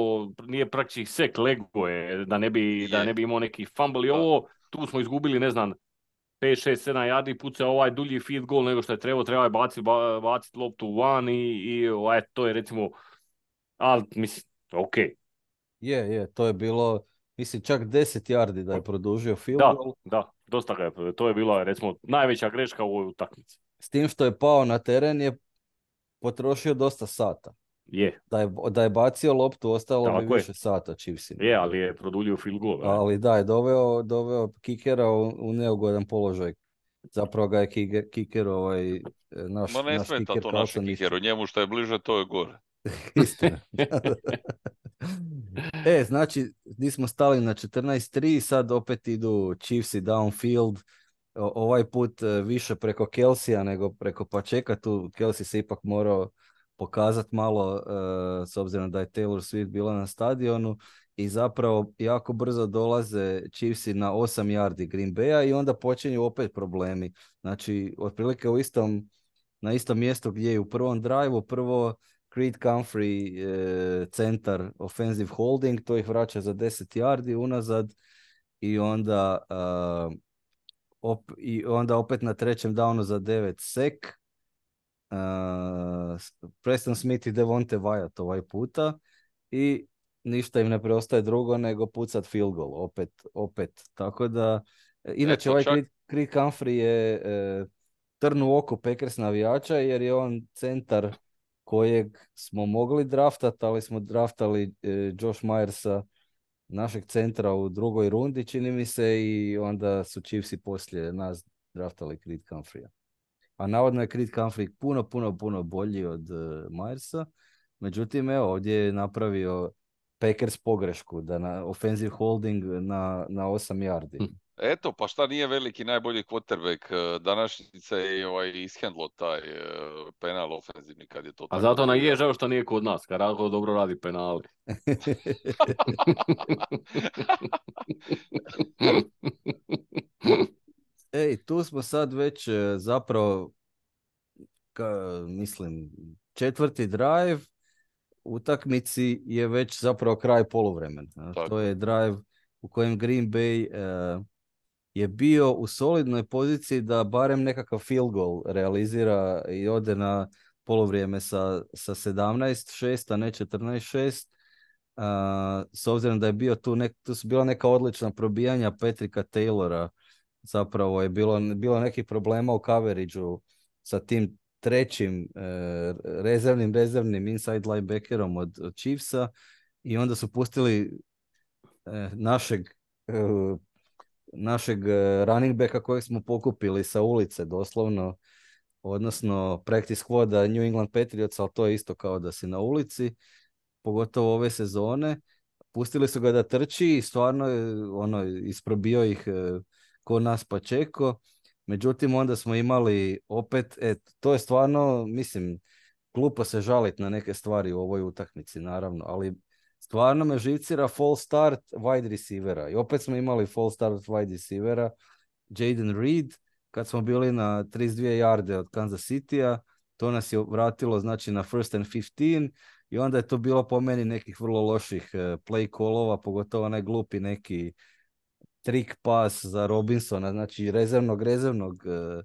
nije praktički sek, lego je, da ne bi, Je. da ne bi imao neki fumble i Da. ovo, tu smo izgubili, ne znam, pet, šest, sedam yardi, pucao ovaj dulji field goal nego što je trebao, trebao je baciti ba, bacit loptu van i, i ovaj, to je recimo, ali mislim, ok, Je, je, to je bilo, mislim, čak deset yardi da je produžio field da, goal. da, dosta ga je, to je bila recimo najveća greška u ovoj utakmici. S tim što je pao na teren je potrošio dosta sata. Je, Da je, da je bacio loptu, ostalo bi Tako je. više sata Chiefsima. je, ali je produljio field goal. ne? Ali da, je doveo, doveo kikera u, u neugodan položaj. Zapravo ga je kiker, kiker ovaj, naš, Ma ne naš smeta kiker to Carlson našem ništa. kikeru, njemu što je bliže, to je gore. Istina. E, znači, gdje smo stali na četrnaest tri, sad opet idu Chiefsi downfield, o, ovaj put e, više preko Kelsija nego preko Pačeka, tu Kelsey se ipak morao pokazati malo e, s obzirom da je Taylor Swift bila na stadionu i zapravo jako brzo dolaze Chiefsi na osam yardi Green Bay-a i onda počinju opet problemi. Znači, otprilike u istom, na istom mjestu gdje je u prvom drive-u, prvo Creed Humphrey, e, centar offensive holding, to ih vraća za deset yardi unazad i onda, uh, op, i onda opet na trećem downu za devet sek. Uh, Preston Smith i Devonte Wyatt ovaj puta i ništa im ne preostaje drugo nego pucat field goal, opet, opet. Tako da, inače Eto, ovaj čak... Creed, Creed Humphrey je e, trn u oku Packers navijača jer je on centar kojeg smo mogli draftat, ali smo draftali e, Josh Myersa, našeg centra u drugoj rundi, čini mi se, i onda su Chiefsi poslije nas draftali Creed Humphreya. A navodno je Creed Humphrey puno, puno, puno bolji od uh, Myersa. Međutim, evo, ovdje je napravio Packers pogrešku, da na offensive holding na, na osam yardi. Eto, pa šta nije veliki najbolji quarterback današnjice i ovaj ishendlo taj uh, penal ofenzivni kad je to tako. A zato nam bio. je žao što nije kod nas, kad Radko dobro radi penali. Ej, tu smo sad već e, zapravo, ka, mislim, četvrti drive utakmici je već zapravo kraj poluvremena. To je drive u kojem Green Bay e, je bio u solidnoj poziciji da barem nekakav field goal realizira i ode na poluvrijeme sa, sa sedamnaest šest, a ne četrnaest šest. Uh, s obzirom da je bio tu, nek, tu su bila neka odlična probijanja Patricka Taylora, zapravo je bilo, bilo nekih problema u coverageu sa tim trećim uh, rezervnim, rezervnim inside linebackerom od, od Chiefsa i onda su pustili uh, našeg uh, našeg running backa kojeg smo pokupili sa ulice doslovno, odnosno practice squada New England Patriots, ali to je isto kao da si na ulici, pogotovo ove sezone. Pustili su ga da trči i stvarno ono, isprobio ih ko nas Pacheco. Međutim, onda smo imali opet, et, to je stvarno, mislim, glupo se žaliti na neke stvari u ovoj utakmici, naravno, ali stvarno me živcira false start wide receivera. I opet smo imali false start wide receivera, Jaden Reed, kad smo bili na trideset dvije yarde od Kansas City-a, to nas je vratilo znači na first and fifteen i onda je to bilo po meni nekih vrlo loših uh, play callova, pogotovo onaj glupi neki trick pass za Robinsona, znači rezervnog, rezervnog uh,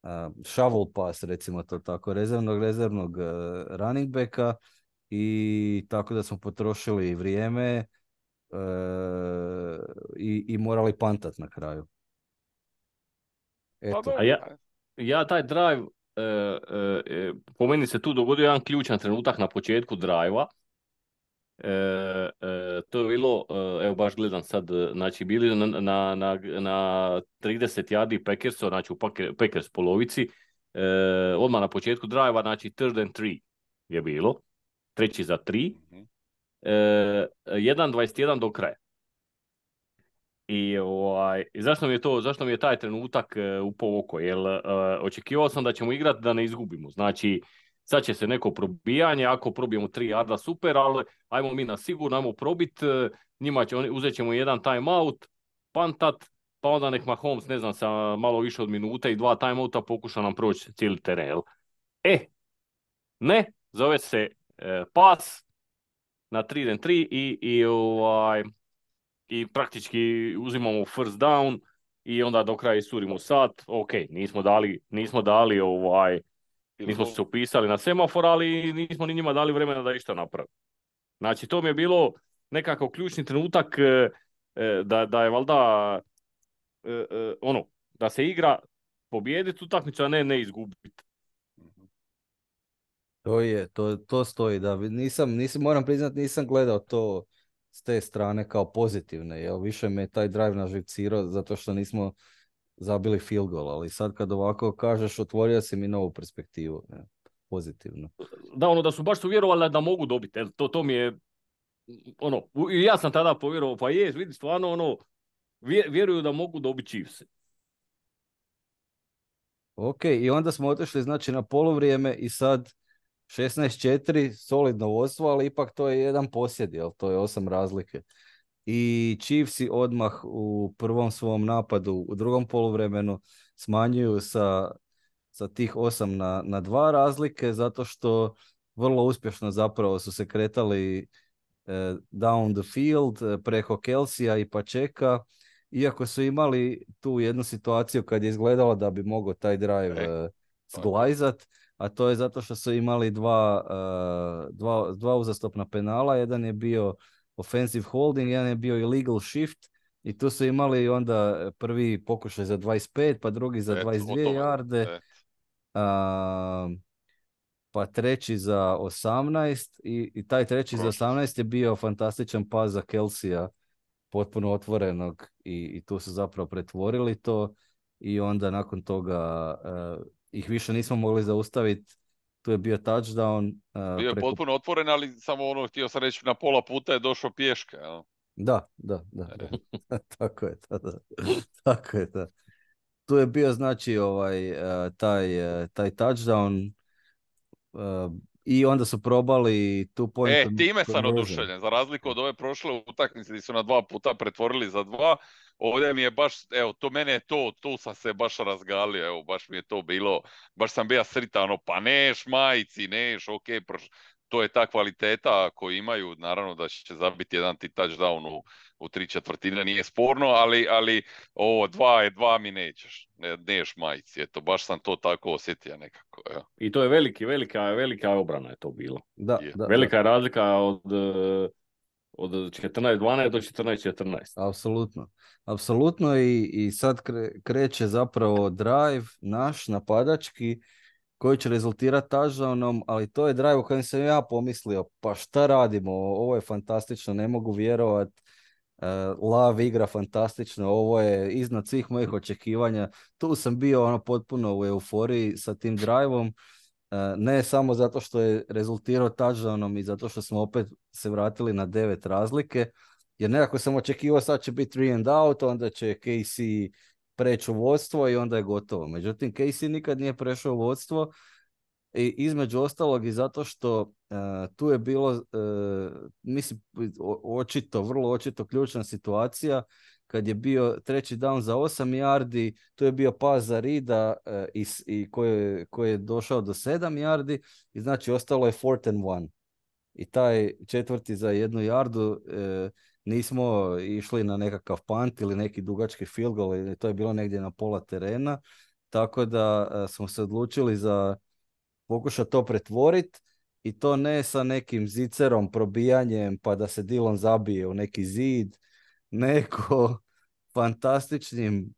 uh, shovel pass, recimo to tako, rezervnog, rezervnog uh, running backa, i tako da smo potrošili vrijeme e, i, i morali pantat na kraju. Eto. A ja, ja taj drive, e, e, po meni se tu dogodio jedan ključan trenutak na početku drive-a. E, e, to je bilo, evo baš gledam sad, znači bili na, na, na, na trideset yardi Packersa, znači u Packers polovici, e, odmah na početku drive-a, znači third and three je bilo. Treći za tri, e, jedan dvadeset jedan do kraja. I ovaj, zašto mi je to, zašto mi je taj trenutak e, upao oko? Jer e, očekivao sam da ćemo igrati da ne izgubimo. Znači, sad će se neko probijanje, ako probijemo tri yarda super, ali ajmo mi na sigurno, ajmo probit, e, njima će, uzet ćemo jedan timeout, pantat, pa onda nek Mahomes, ne znam, sa malo više od minute i dva timeouta pokuša nam proći cijeli teren. E, ne, zove se pas na tri and tri i, i, ovaj, i praktički uzimamo first down i onda do kraja isurimo sat. Ok, nismo dali, nismo dali ovaj, nismo se upisali na semafor, ali nismo ni njima dali vremena da išta napravi. Znači, to mi je bilo nekako ključni trenutak da, da je valjda ono, da se igra pobijediti utakmicu, a ne ne izgubiti. To je, to, to stoji, da, nisam, nisam, moram priznati, nisam gledao to s te strane kao pozitivne, jer više me taj drive naživcirao zato što nismo zabili field goal, ali sad kad ovako kažeš, otvorio si mi novu perspektivu, ne, pozitivno. Da, ono da su baš su vjerovali da mogu dobiti, to, to mi je, ono, i ja sam tada povjerovao, pa je, vidi, stvarno, ono, vjeruju da mogu dobiti Chiefs. Ok, i onda smo otišli, znači, na poluvrijeme i sad šesnaest četiri, solidno vodstvo, ali ipak to je jedan posjed, jel? To je osam razlike. I Chiefsi odmah u prvom svom napadu, u drugom poluvremenu, smanjuju sa, sa tih osam na, na dva razlike, zato što vrlo uspješno zapravo su se kretali down the field preko Kelsija i Pačeka, iako su imali tu jednu situaciju kad je izgledalo da bi mogao taj drive E, uh, zglajzat, a to je zato što su imali dva, uh, dva, dva uzastopna penala, jedan je bio offensive holding, jedan je bio illegal shift i tu su imali onda prvi pokušaj za dvadeset pet, pa drugi za et, dvadeset o dvije tome, jarde, et. uh, pa treći za osamnaest i, i taj treći za Prošli su. osamnaest je bio fantastičan pas za Kelsija, potpuno otvorenog i, i tu su zapravo pretvorili to i onda nakon toga uh, ih više nismo mogli zaustaviti. Tu je bio touchdown. Uh, Bio je preko... potpuno otvoren, ali samo ono, htio sam reći, na pola puta je došao pješke. Jel? Da, da, da, E. da. Tako je, da, da. Tako je, da. Tu je bio znači ovaj, uh, taj, uh, taj touchdown uh, i onda su probali two point E, time sam conversion. oduševljen, za razliku od ove prošle utakmice gdje su na dva puta pretvorili za dva, ovdje mi je baš, evo, to mene je to, tu sam se baš razgalio, evo, baš mi je to bilo, baš sam bio sritan, ono, pa neš majci, neš, ok, proš... to je ta kvaliteta koju imaju, naravno da će zabiti jedan ti touchdown u, u tri četvrtine, nije sporno, ali, ali ovo, dva je, dva mi nećeš, ne, neš majci, eto, baš sam to tako osjetio nekako, evo. I to je veliki, velika, velika obrana je to bilo. Da, Je. da, Velika da. je razlika od, od četrnaest dvanaest do četrnaest četrnaest. Apsolutno. Apsolutno i, i sad kre, kreće zapravo drive naš napadački koji će rezultirati touchdownom, ali to je drive u kojem sam ja pomislio, pa šta radimo, ovo je fantastično, ne mogu vjerovat, uh, Love igra fantastično, ovo je iznad svih mojih očekivanja, tu sam bio ono potpuno u euforiji sa tim driveom, uh, ne samo zato što je rezultirao touchdownom i zato što smo opet se vratili na devet razlike, jer nekako sam očekivao sad će biti three and out, onda će K C preći u vodstvo i onda je gotovo. Međutim, K C nikad nije prešao u vodstvo i između ostalog i zato što uh, tu je bilo, uh, mislim, očito, vrlo očito ključna situacija kad je bio treći down za osam yardi, tu je bio pas za Rida uh, i, i koji, koji je došao do sedam yardi i znači ostalo je fourth and one. I taj četvrti za jednu jardu uh, nismo išli na nekakav punt ili neki dugački field goal, to je bilo negdje na pola terena, tako da uh, smo se odlučili za pokušati to pretvoriti i to ne sa nekim zicerom, probijanjem pa da se Dillon zabije u neki zid, nego fantastičnim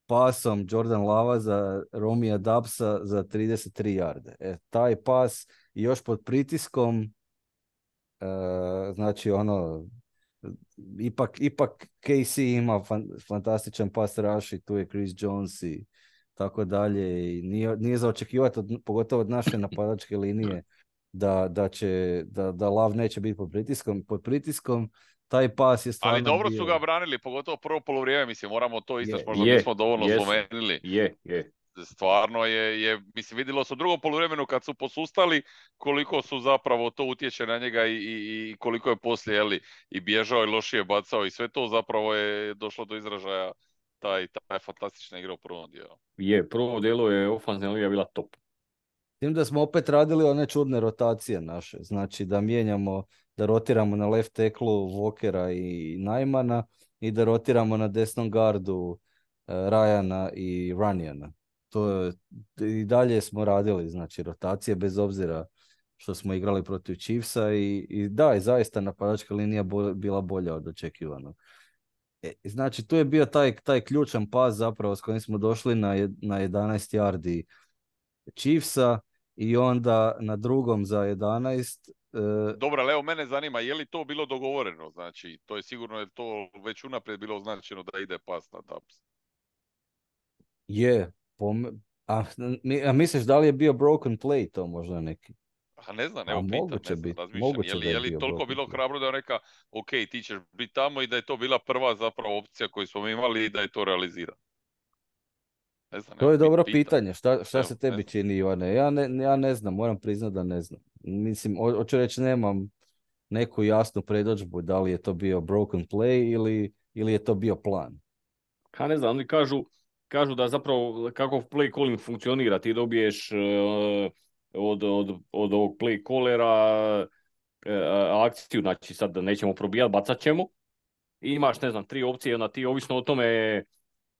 pasom Jordan Lava za Romija Dubsa za trideset tri jarde. E, taj pas i još pod pritiskom, uh, znači ono, ipak, ipak K C ima fan, fantastičan pas rush i tu je Chris Jones i tako dalje i nije, nije za očekivati, od, pogotovo od naše napadačke linije, da, da, će, da, da Love neće biti pod pritiskom. Pod pritiskom taj pas je stvarno Ali dobro bio... su ga branili, pogotovo prvo poluvrijeme, mislim, moramo to istaći, možda je, nismo dovoljno jesu, spomenuli. Je, je. Stvarno je, je, mislim, vidjelo se u drugom poluvremenu kad su posustali koliko su zapravo to utječe na njega i, i, i koliko je poslije, jeli, i bježao i lošije bacao i sve to zapravo je došlo do izražaja taj, taj fantastična igra u prvom dijelu. Je, prvo dijelo je ofanzivna liga bila top. Tim da smo opet radili one čudne rotacije naše, znači da mijenjamo, da rotiramo na left tacklu Walkera i Najmana i da rotiramo na desnom gardu uh, Ryana i Runjana. To je, i dalje smo radili, znači rotacije bez obzira što smo igrali protiv Chiefsa i, i da, i zaista napadačka linija bo, bila bolja od očekivanog. E, znači tu je bio taj, taj ključan pas zapravo s kojim smo došli na, jed, na jedanaest yardi Chiefsa i onda na drugom za jedanaest. Uh, Dobro, ali evo mene zanima, je li to bilo dogovoreno? Znači, to je sigurno je to već unaprijed bilo označeno da ide pas na Dubs. Je, pom- a, a misliš da li je bio broken play to možda neki? A ne znam, A evo pitam, moguće ne znam, bit, razmišljam. moguće Je li, da je je li bio toliko broken bilo play. hrabro da je neka, ok, ti ćeš biti tamo i da je to bila prva zapravo opcija koju smo imali i da je to realizirano? Ne znam, To evo, je dobro pitam. pitanje. Šta, šta Evo, se ne tebi znam. čini, Ivane? Ja ne, ja ne znam, moram priznati da ne znam. Mislim, ho- hoću reći, nemam neku jasnu predodžbu da li je to bio broken play ili, ili je to bio plan. Ha, ne znam, oni kažu, kažu da zapravo kako play calling funkcionira, ti dobiješ uh, od, od, od ovog play callera e, akciju, znači sad nećemo probijati, bacat ćemo. I imaš, ne znam, tri opcije, onda ti ovisno o tome,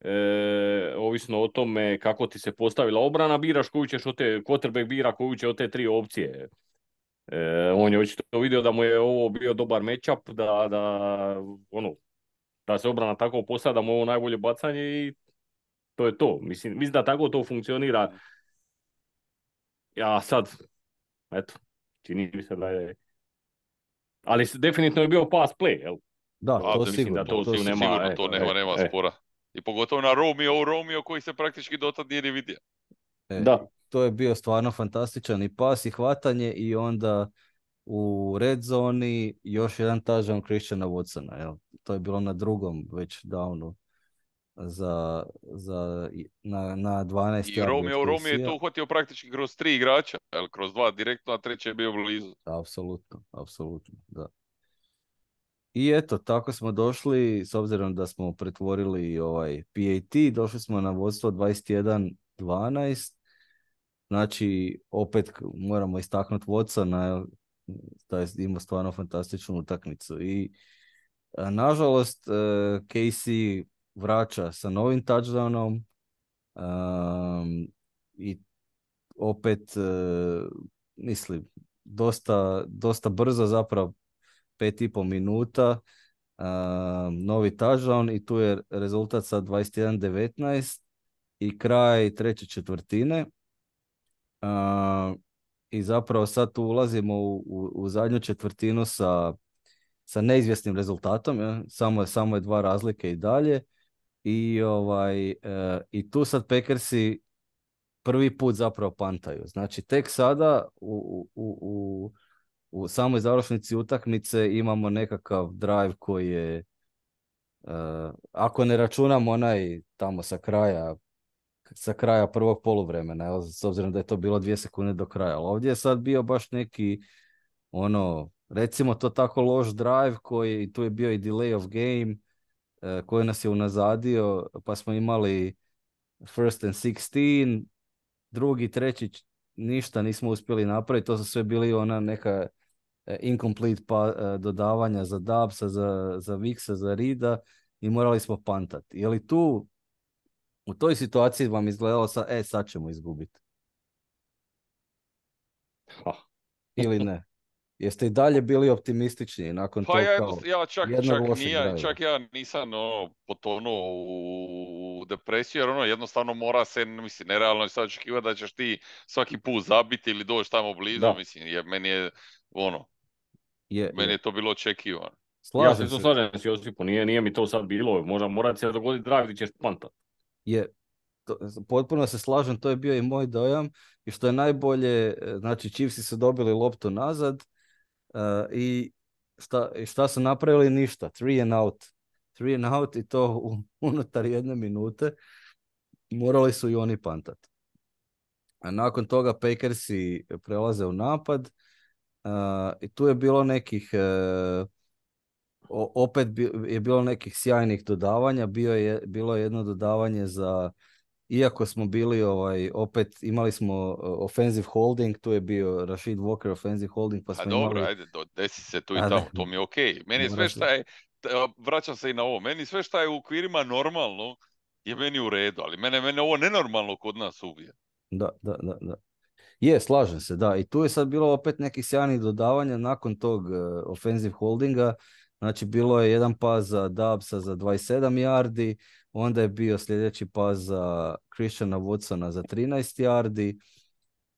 e, ovisno o tome kako ti se postavila obrana, biraš koju ćeš od te, quarterback bira koju će od te tri opcije. E, on je očito vidio da mu je ovo bio dobar matchup, da, da, ono, da se obrana tako postavlja, da mu je ovo najbolje bacanje i to je to. Mislim, mislim da tako to funkcionira. Ja sad, eto, čini mi se da je... Ali definitivno je bio pass play, jel? Da, A, to mislim sigurno. da to to tu nema, sigurno e, to nema, e, nema e. spora. I pogotovo na Romeo, Romeo koji se praktički dotad nije ni vidio. E, Da. To je bio stvarno fantastičan i pas i hvatanje i onda u red zoni još jedan touchdown Christiana Watsona. Jel? To je bilo na drugom već downu za, za, na, na dvanaest I yardi Romeo, od Romeo je Casey-a. to uhvatio praktički kroz tri igrača, jel, kroz dva direktno, a treći je bio blizu. Apsolutno, apsolutno, da. I eto, tako smo došli, s obzirom da smo pretvorili ovaj P A T, došli smo na vodstvo dvadeset jedan dvanaest. Znači, opet moramo istaknuti Watsona, da je imao stvarno fantastičnu utakmicu. I a, nažalost, uh, Casey vraća sa novim touchdownom um, i opet, uh, mislim, dosta, dosta brzo zapravo, pet i pol minuta, um, novi touchdown i tu je rezultat sa dvadeset jedan devetnaest i kraj treće četvrtine. Uh, I zapravo sad tu ulazimo u, u, u zadnju četvrtinu sa, sa neizvjesnim rezultatom, ja? samo, je, samo je dva razlike i dalje. I, ovaj, uh, i tu sad Packersi prvi put zapravo pantaju. Znači tek sada u, u, u, u samoj završnici utakmice imamo nekakav drive koji je, uh, ako ne računamo onaj tamo sa kraja sa kraja prvog poluvremena, evo, s obzirom da je to bilo dvije sekunde do kraja. Ali ovdje je sad bio baš neki, ono, recimo to tako loš drive koji, tu je bio i delay of game, eh, koji nas je unazadio, pa smo imali first and sixteen, drugi, treći, ništa nismo uspjeli napraviti, to su sve bili ona neka eh, incomplete pa, eh, dodavanja za Dubsa, za, za Vixa, za Rida i morali smo pantati. Je li tu u toj situaciji vam izgledalo sa, e, sad ćemo izgubiti? Ha. Ili ne? Jeste i dalje bili optimistični nakon Pa tog ja, kao jednost- ja čak, jednog čak, lošeg nije, drive-a? čak ja nisam ono, potonuo u depresiju, jer ono jednostavno mora se, mislim, nerealno je sad očekivati da ćeš ti svaki put zabiti ili doći tamo blizu, Da. mislim, jer meni je, ono, Je, meni je. je to bilo očekivano. Ja Slažem se to se. slažem s Josipom, nije, nije mi to sad bilo, možda mora se dogoditi drive gdje ćeš pantat. Je, to, potpuno se slažem, to je bio i moj dojam. I što je najbolje, e, znači Chiefsi su dobili loptu nazad uh, i šta, i šta su napravili? Ništa. Three and out. Three and out i to u, unutar jedne minute. Morali su i oni pantat. A nakon toga Packersi prelaze u napad. Uh, i tu je bilo nekih uh, o, opet bi, je bilo nekih sjajnih dodavanja. Bio je, bilo je jedno dodavanje za, iako smo bili ovaj, opet imali smo uh, offensive holding, tu je bio Rashid Walker offensive holding, pa A smo dobro, imali... ajde, do, desi se tu i A, tamo, da. to mi je okej. Meni je Mora sve se- šta je, t- vraćam se i na ovo, meni sve šta je u okvirima normalno je meni u redu, ali mene, mene ovo nenormalno kod nas ubija. Da, da, da, da. Je, slažem se, da. I tu je sad bilo opet nekih sjajnih dodavanja nakon tog uh, offensive holdinga. Znači, bilo je jedan pas za Dubsa za dvadeset sedam yardi, onda je bio sljedeći pas za Christiana Watsona za trinaest yardi,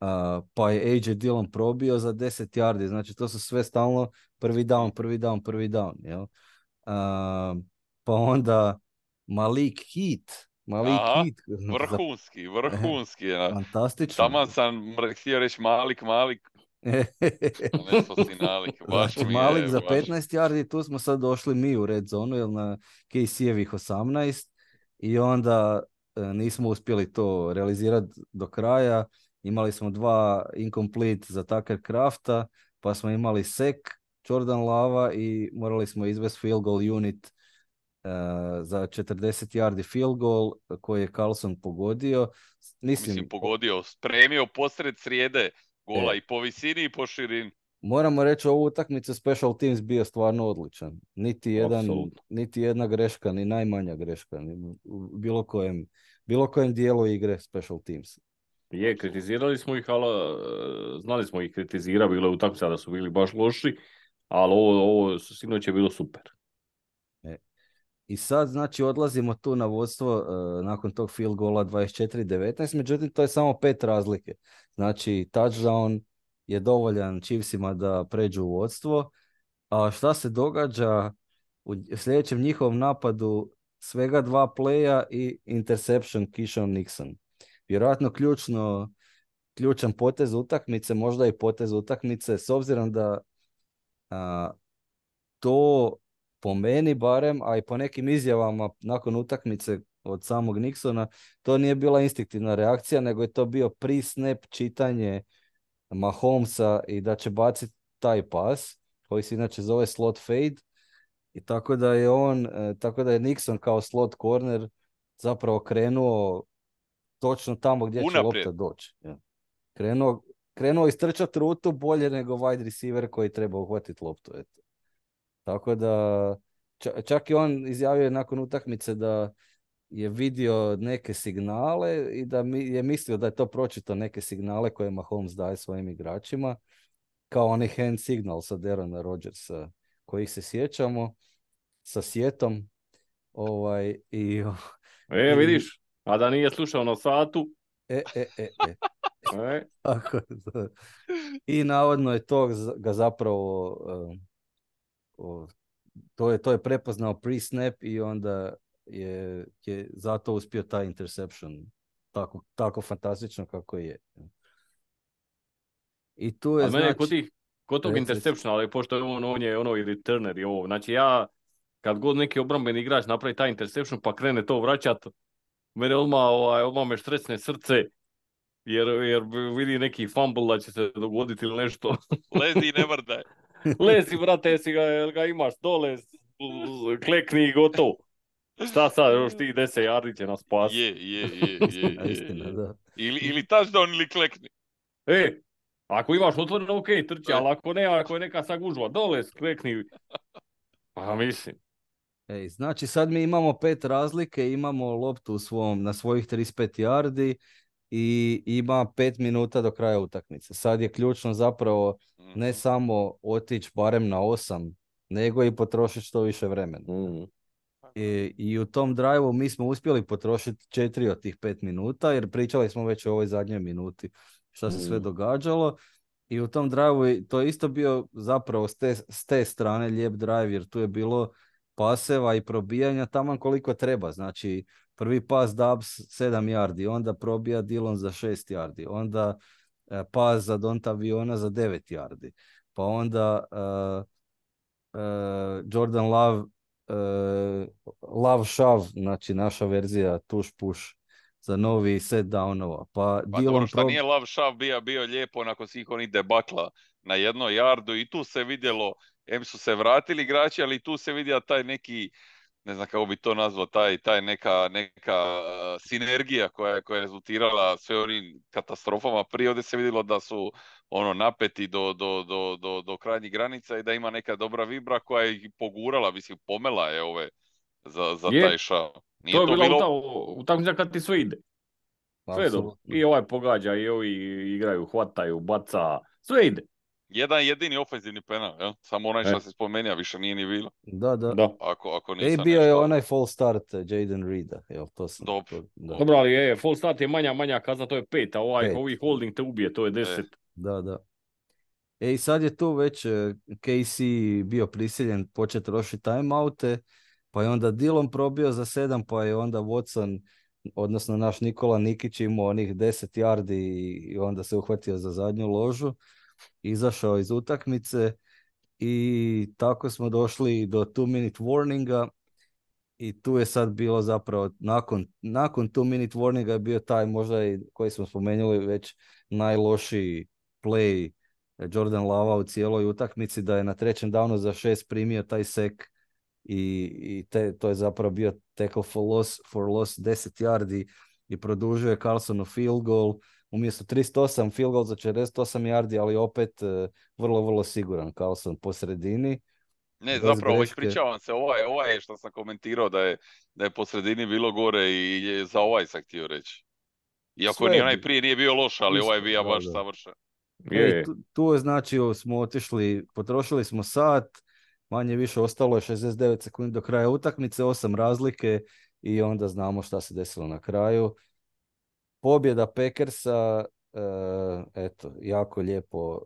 uh, pa je A J Dillon probio za deset yardi. Znači, to su sve stalno prvi down, prvi down, prvi down. Jel? Uh, pa onda Malik Heat. Malik Aha, Heat. za- vrhunski, vrhunski. Ja. Fantastično. Taman sam mr- htio reći Malik, Malik, a nešto si nalik, baš Znači, mi Malik je, za baš. petnaest yardi, tu smo sad došli mi u red zonu, jer na Casey-evih osamnaest i onda e, nismo uspjeli to realizirati do kraja. Imali smo dva incomplete za Tucker Crafta, pa smo imali sek Jordan Lava i morali smo izvesti field goal unit e, za četrdeset yardi field goal koji je Carlson pogodio. Mislim, Mislim, pogodio, spremio posred srijede gola E. i po visini i po širini. Moramo reći, ovu utakmicu Special Teams bio stvarno odličan. Niti, jedan, Apsolutno. niti jedna greška, ni najmanja greška, ni u bilo kojem, bilo kojem dijelu igre Special Teams. Je, kritizirali smo ih, ali e, znali smo ih kritizira, bilo je utakmica da su bili baš loši, ali ovo, ovo sinoć je bilo super. E. I sad, znači, odlazimo tu na vodstvo uh, nakon tog field goala dvadeset četiri devetnaest, međutim, to je samo pet razlike. Znači, touchdown je dovoljan Chiefsima da pređu u vodstvo. A šta se događa u sljedećem njihovom napadu? Svega dva playa i interception Keyshawn Nixon. Vjerojatno ključno, ključan potez utakmice, možda i potez utakmice, s obzirom da a, to po meni barem, a i po nekim izjavama nakon utakmice od samog Nixona, to nije bila instinktivna reakcija, nego je to bio pre-snap čitanje Mahomesa i da će baciti taj pas, koji se inače zove slot fade, i tako da je on, tako da je Nixon kao slot corner zapravo krenuo točno tamo gdje će Unaprijed. lopta doći. Ja. Krenuo, krenuo istrčati rutu bolje nego wide receiver koji treba uhvatiti loptu. Eto. Tako da, čak i on izjavio nakon utakmice da je vidio neke signale i da mi, je mislio da je to pročito neke signale koje Mahomes daje svojim igračima, kao onaj hand signal sa Derona Rodgersa, kojih se sjećamo, sa sjetom. Ovaj, i, E, vidiš, a da nije slušao na satu. E, e, e, e. E. Tako, i navodno je to ga zapravo uh, uh, to je, to je prepoznao pre-snap i onda je, je zato uspio taj interception tako, tako fantastično kako je. I tu je, ali znači... mene kod, tih, kod tog interceptiona, ali pošto je on, on je ono i returner i ovo, znači ja kad god neki obrambeni igrač napravi taj interception pa krene to vraćat, mene odmah, ovaj, odmah me štresne srce, jer, jer vidi neki fumble da će se dogoditi ili nešto. Lezi i ne mrdaj. Lezi, brate, jesi ga, jel ga imaš dole, klekni i gotovo. Šta sad, još ti deset yardi će nas spasiti. Je, je, je, je, je, istina, je. da. Ili, ili touchdown ili klekni. E, ako imaš otvoreno, ok, trči, ali ako ne, ako je neka sagužva, dole, klekni. Pa mislim. Ej, znači sad mi imamo pet razlike, imamo loptu u svom, na svojih trideset pet yardi i ima pet minuta do kraja utakmice. Sad je ključno zapravo ne samo otići barem na osam, nego i potrošiti što više vremena. Mm. I, I u tom drive-u mi smo uspjeli potrošiti četiri od tih pet minuta, jer pričali smo već o ovoj zadnjoj minuti šta se mm. sve događalo. I u tom drive-u to je isto bio zapravo s te, s te strane lijep drive, jer tu je bilo paseva i probijanja taman koliko treba. Znači, prvi pas Dubs sedam yardi, onda probija Dillon za šest yardi, onda e, pas za Dontaviona za devet yardi, pa onda e, e, Jordan Love e, Love Shove, znači naša verzija tuš push za novi set downova. Pa, pa Dillon dobro, šta prob... nije Love Shove bio, bio lijepo nakon svih onih debakla na jednoj yardu i tu se vidjelo, em su se vratili igrači, ali tu se vidio taj neki, ne znam kako bi to nazvao, taj, taj neka, neka uh, sinergija koja, koja je rezultirala sve onim katastrofama. Prije ovdje se vidjelo da su ono napeti do, do, do, do, do krajnjih granica i da ima neka dobra vibra koja je pogurala, mislim, pomela je ove za, za je, taj šav. Nije to je to bila bilo... utakmica kad ti sve ide. Sve dobro. I ovaj pogađa, i ovi igraju, hvataju, baca, sve ide. Jedan jedini ofenzivni penal, jel? Samo onaj što se spomenuo, više nije ni bilo. Da, da. da. Ako, ako nisam e, bio nešto... je onaj full start Jaden Reeda. Jel, to sam... Dobro. To, da. Dobro, ali je, full start je manja, manja kazna, to je pet, a ovaj, pet. ovi holding te ubije, to je deset. E. Da, da. E, i sad je tu već K C bio prisiljen početi trošiti timeoute, pa je onda Dillon probio za sedam, pa je onda Watson, odnosno naš Nikola Nikić imao onih deset yardi i onda se uhvatio za zadnju ložu, izašao iz utakmice i tako smo došli do two minute warninga i tu je sad bilo zapravo nakon, nakon two minute warninga je bio taj možda i koji smo spomenuli već najlošiji play Jordan Lava u cijeloj utakmici, da je na trećem downu za šest primio taj sek i, i te, to je zapravo bio tackle for loss, for loss deset yardi i produžio je Carlsonu field goal. Umjesto trideset osam field goal za četrdeset osam yardi, ali opet uh, vrlo, vrlo siguran Carlson po sredini. Ne, Bez zapravo, greške. ispričavam se, ovaj, ovaj je što sam komentirao da je, da je po sredini bilo gore i je, za ovaj sam htio reći. Iako Sve ni je onaj bi- prije nije bio loš, ali isto, ovaj je bio da, baš da. savršen. Je, E, je. tu, tu je znači smo otišli, potrošili smo sat, manje više ostalo je šezdeset devet sekundi do kraja utakmice, osam razlike i onda znamo šta se desilo na kraju. Pobjeda Packersa, uh, eto, jako lijepo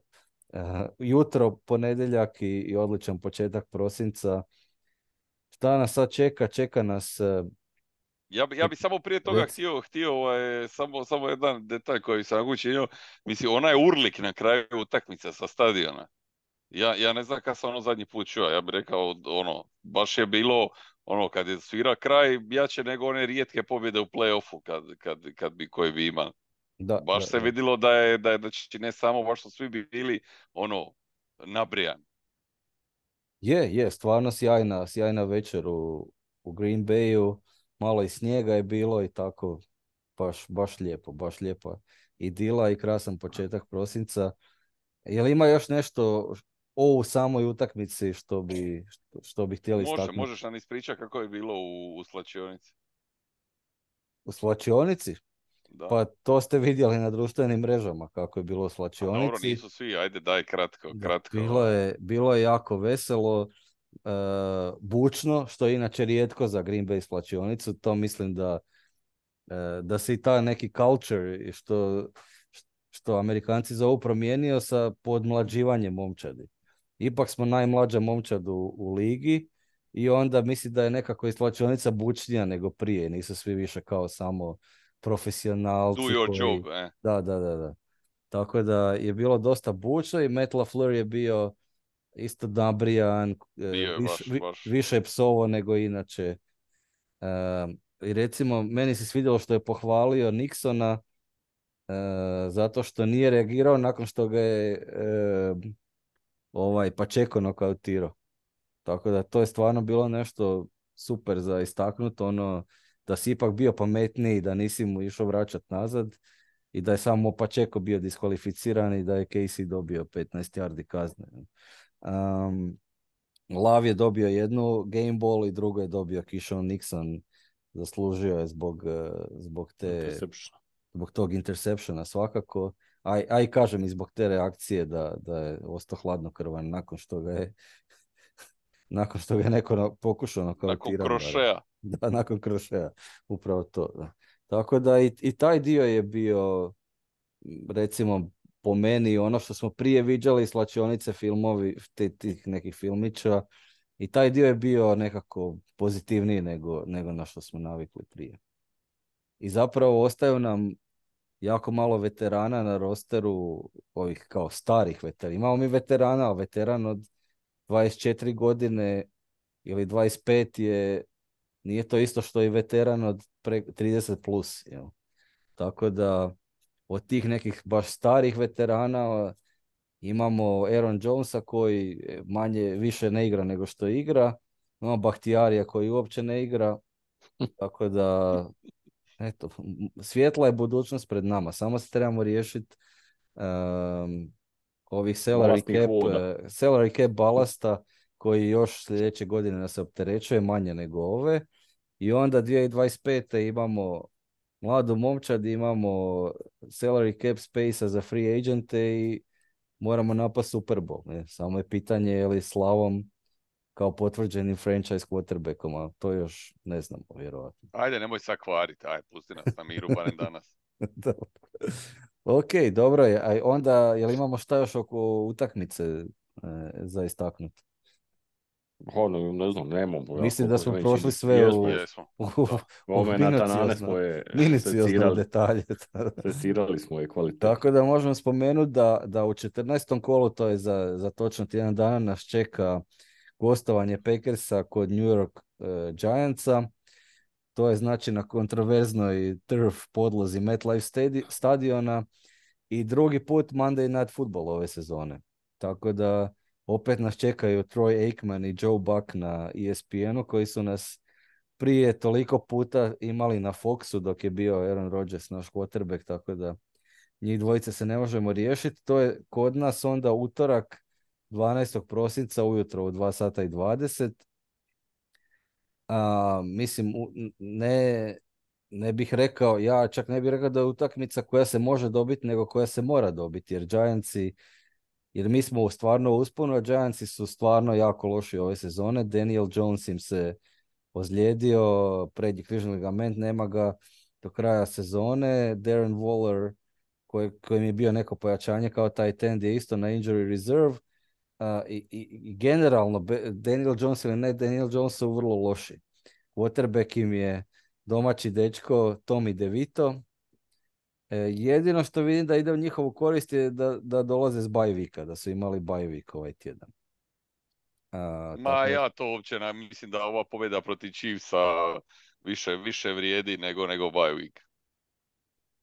uh, jutro, ponedjeljak i, i odličan početak prosinca. Šta nas sad čeka? Čeka nas... Uh, Ja bi, ja bi samo prije toga rec... htio, htio ovaj, samo, samo jedan detalj koji sam učinio. Mislim, onaj urlik na kraju utakmice sa stadiona. Ja, ja ne znam kada sam ono zadnji put čuo, ja bih rekao, ono, baš je bilo, ono, kad je svira kraj, jače nego one rijetke pobjede u play-offu kad, kad, kad bi, koje bi imali. Da, Baš da, se da. vidjelo da je, da je, da će ne samo, baš su svi bili, ono, nabrijani. Je, je, stvarno sjajna, sjajna večer u, u Green Bayu, malo i snijega je bilo i tako, baš, baš lijepo, baš lijepa idila i krasan početak prosinca. Jel ima još nešto o samoj utakmici što bi, što, što bi htjeli Može, istaknuti? možeš nam ispričati kako je bilo u, u slačionici. U slačionici? Da. Pa to ste vidjeli na društvenim mrežama kako je bilo u A slačionici. dobro, nisu svi, ajde daj kratko, Da, kratko. bilo je, bilo je jako veselo, uh, bučno, što je inače rijetko za Green Bay slačionicu. To mislim da, uh, da se i ta neki culture, što, što Amerikanci zovu, promijenio sa podmlađivanjem momčadi. Ipak smo najmlađa momčad u, u ligi i onda mislim da je nekako i slačionica bučnija nego prije. Nisu svi više kao samo profesionalci. Do your koji... job, eh. Da, da, da, da. Tako da je bilo dosta bučno i Matt LaFleur je bio isto nabrijan, Bio je više, baš, vi, baš. više je psovo nego inače. Um, I recimo, meni se svidjelo što je pohvalio Nixona uh, zato što nije reagirao nakon što ga je uh, ovaj Pacheco nokautirao. Tako da to je stvarno bilo nešto super za istaknuti, ono da si ipak bio pametniji, da nisi mu išao vraćati nazad i da je samo Pacheco bio diskvalificiran i da je Casey dobio petnaest yardi kazne. Um, Lav je dobio jednu game ball i drugo je dobio Keyshawn Nixon, zaslužio je zbog, zbog te Interception. zbog tog interceptiona svakako, a, a i kažem i zbog te reakcije da, da je ostao hladnokrvan nakon što ga je nakon što ga je neko na, pokušao nokautirati. Nakon krošeja. Da, nakon krošeja, upravo to. Da. Tako da i, i taj dio je bio, recimo, po meni ono što smo prije viđali, slačionice filmovi, te, tih nekih filmića, i taj dio je bio nekako pozitivniji nego, nego na što smo navikli prije. I zapravo ostaju nam jako malo veterana na rosteru, ovih kao starih veterana. Imamo mi veterana, ali veteran od dvadeset četiri godine ili dvadeset pet je, nije to isto što i veteran od pre, trideset plus. Jel? Tako da od tih nekih baš starih veterana imamo Aaron Jonesa koji manje više ne igra nego što igra. Imamo Bahtijarija koji uopće ne igra. Tako da eto, svjetla je budućnost pred nama. Samo se trebamo riješiti um, ovih salary Balastnih cap, voda. uh, salary cap balasta koji još sljedeće godine nas se opterećuje manje nego ove. I onda dvije tisuće dvadeset pete imamo mladu momčad, imamo salary cap space za free agente i moramo napast Super Bowl. Ne? Samo je pitanje je li Slavom kao potvrđenim franchise quarterbackom, a to još ne znamo, vjerojatno. Ajde, nemoj sad kvariti, ajde, pusti nas na miru, barem danas. Ok, dobro je. A onda, jel imamo šta još oko utakmice e, za istaknuti? Ono, ne znam, nemamo. Mislim da smo Znači, prošli sve jesmo, u, Jesmo. u, Da. u Momenata nane minuciozno, smo je minuciozno secirali. detalje. Secirali smo je kvalitetno. Tako da možemo spomenuti da, da u četrnaestom kolu, to je za, za točno tjedan dana, nas čeka gostovanje Packersa kod New York uh, Giantsa. To je znači na kontroverznoj turf podlozi MetLife stadi- stadiona i drugi put Monday Night Football ove sezone. Tako da opet nas čekaju Troy Aikman i Joe Buck na E S P N-u koji su nas prije toliko puta imali na Foxu dok je bio Aaron Rodgers naš quarterback, tako da njih dvojice se ne možemo riješiti. To je kod nas onda utorak dvanaestog prosinca ujutro u dva sata i dvadeset. A, mislim, u- ne, ne bih rekao, ja čak ne bih rekao da je utakmica koja se može dobiti, nego koja se mora dobiti, jer Giantsi, jer mi smo stvarno u usponu, a Giantsi su stvarno jako loši ove sezone. Daniel Jones im se ozlijedio, prednji križni ligament, nema ga do kraja sezone. Darren Waller, koji, kojem je bio neko pojačanje kao tight end, je isto na injury reserve. Uh, i, i, i generalno, Be- Daniel Jones ili ne Daniel Jones su vrlo loši. Quarterback im je domaći dečko Tommy DeVito. E, jedino što vidim da ide u njihovu korist je da, da dolaze s bye weeka, da su imali bye week ovaj tjedan. A, Ma tako da, ja to uopće ne, mislim da ova pobjeda protiv Chiefsa više, više vrijedi nego, nego bye week.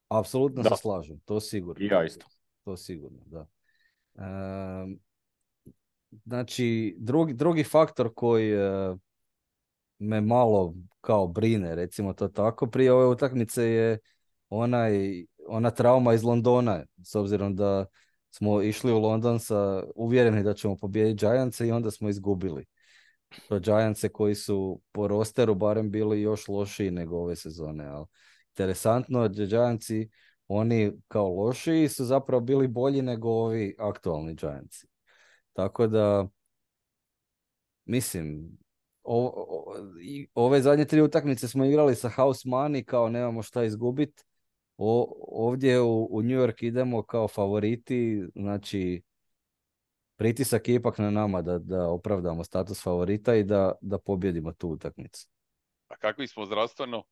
apsolutno se Da, slažem, to sigurno. i ja isto. To sigurno, da. Ehm, znači, drugi, drugi faktor koji e, me malo kao brine, recimo to tako, prije ove utakmice je onaj, ona trauma iz Londona, s obzirom da smo išli u London sa uvjereni da ćemo pobijediti Giantse i onda smo izgubili. To Giantse koji su po rosteru barem bili još lošiji nego ove sezone. Ali interesantno, da Giantsi, oni kao lošiji su zapravo bili bolji nego ovi aktualni Giantsi. Tako da, mislim, o, o- i ove zadnje tri utakmice smo igrali sa house money, kao nemamo šta izgubiti. Ovdje u, u New York idemo kao favoriti, znači pritisak je ipak na nama da, da opravdamo status favorita i da, da pobjedimo tu utakmicu. A kakvi smo zdravstveno?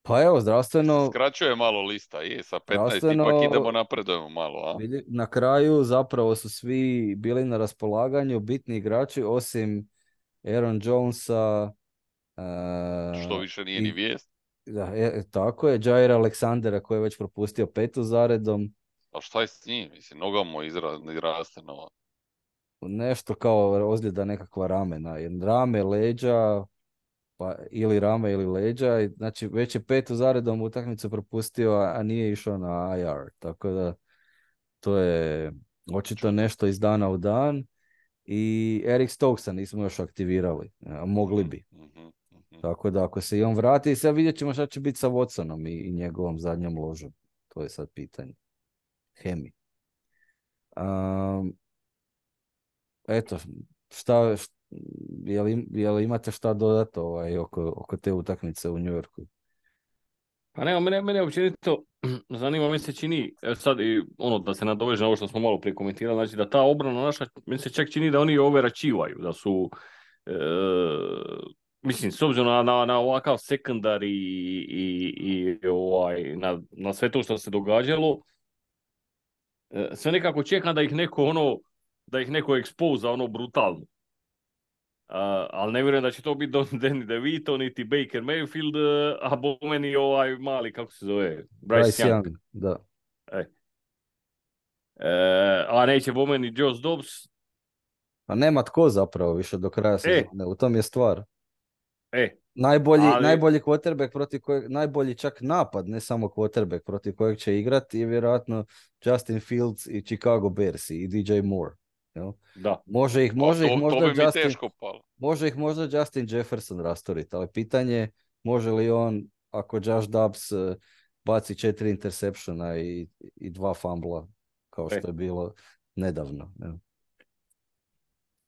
Pa evo, Se zdravstveno, skraćuje malo lista, je, sa petnaest zdravstveno ipak idemo napredujemo malo, a? vidi, na kraju zapravo su svi bili na raspolaganju, bitni igrači, osim Aaron Jonesa Što uh, više nije ni i vijest. da, e, tako je, Jaira Aleksandera koji je već propustio petu zaredom, A šta je s njim? Mislim, noga mu izra, izraste nova. nešto kao ozljeda nekakva ramena, jer rame, leđa, pa ili rame ili leđa, i znači već je petu zaredom utakmicu propustio, a a nije išao na I R, tako da to je očito Čudno. nešto iz dana u dan. I Eric Stokesa nismo još aktivirali, a mogli Mhm, bi. mhm, mhm. Tako da ako se i on vrati, sad vidjet ćemo šta će biti sa Watsonom i, i njegovom zadnjom ložom. To je sad pitanje. Hemi. Um, eto, šta, št- je li, je li imate šta dodati ovaj, oko, oko te utakmice u New Yorku? Pa ne, mene, mene općenito zanima, mi se čini, evo sad i ono da se nadoveže na ovo što smo malo prije komentirali, znači da ta obrana naša, meni se čak čini da oni overačivaju, da su, e, mislim, s obzirom na, na, na ovakav sekundar i, i, i ovaj, na, na sve to što se događalo, e, sve nekako čekam da ih neko ono, da ih neko ekspoza ono brutalno. A, ali ne vjerujem da će to biti Don Danny DeVito, niti Baker Mayfield, e, a bome ni ovaj mali, kako se zove, Bryce Bryce Young. Young, da. E. E, a neće bome ni Josh Dobbs. Pa nema tko zapravo više do kraja E, sezone, u tom je stvar. e, Najbolji, ali, najbolji quarterback protiv kojeg, najbolji čak napad, ne samo quarterback protiv kojeg će igrati je vjerojatno Justin Fields i Chicago Bears i D J Moore. Jel? da. Može ih, A može ih to, to možda bi mi Justin, teško palo. može ih možda Justin Jefferson rastoriti, ali pitanje je može li on, ako Josh Dobbs eh, baci četiri interseptiona i, i dva fumbla, kao E, što je bilo nedavno. Jel?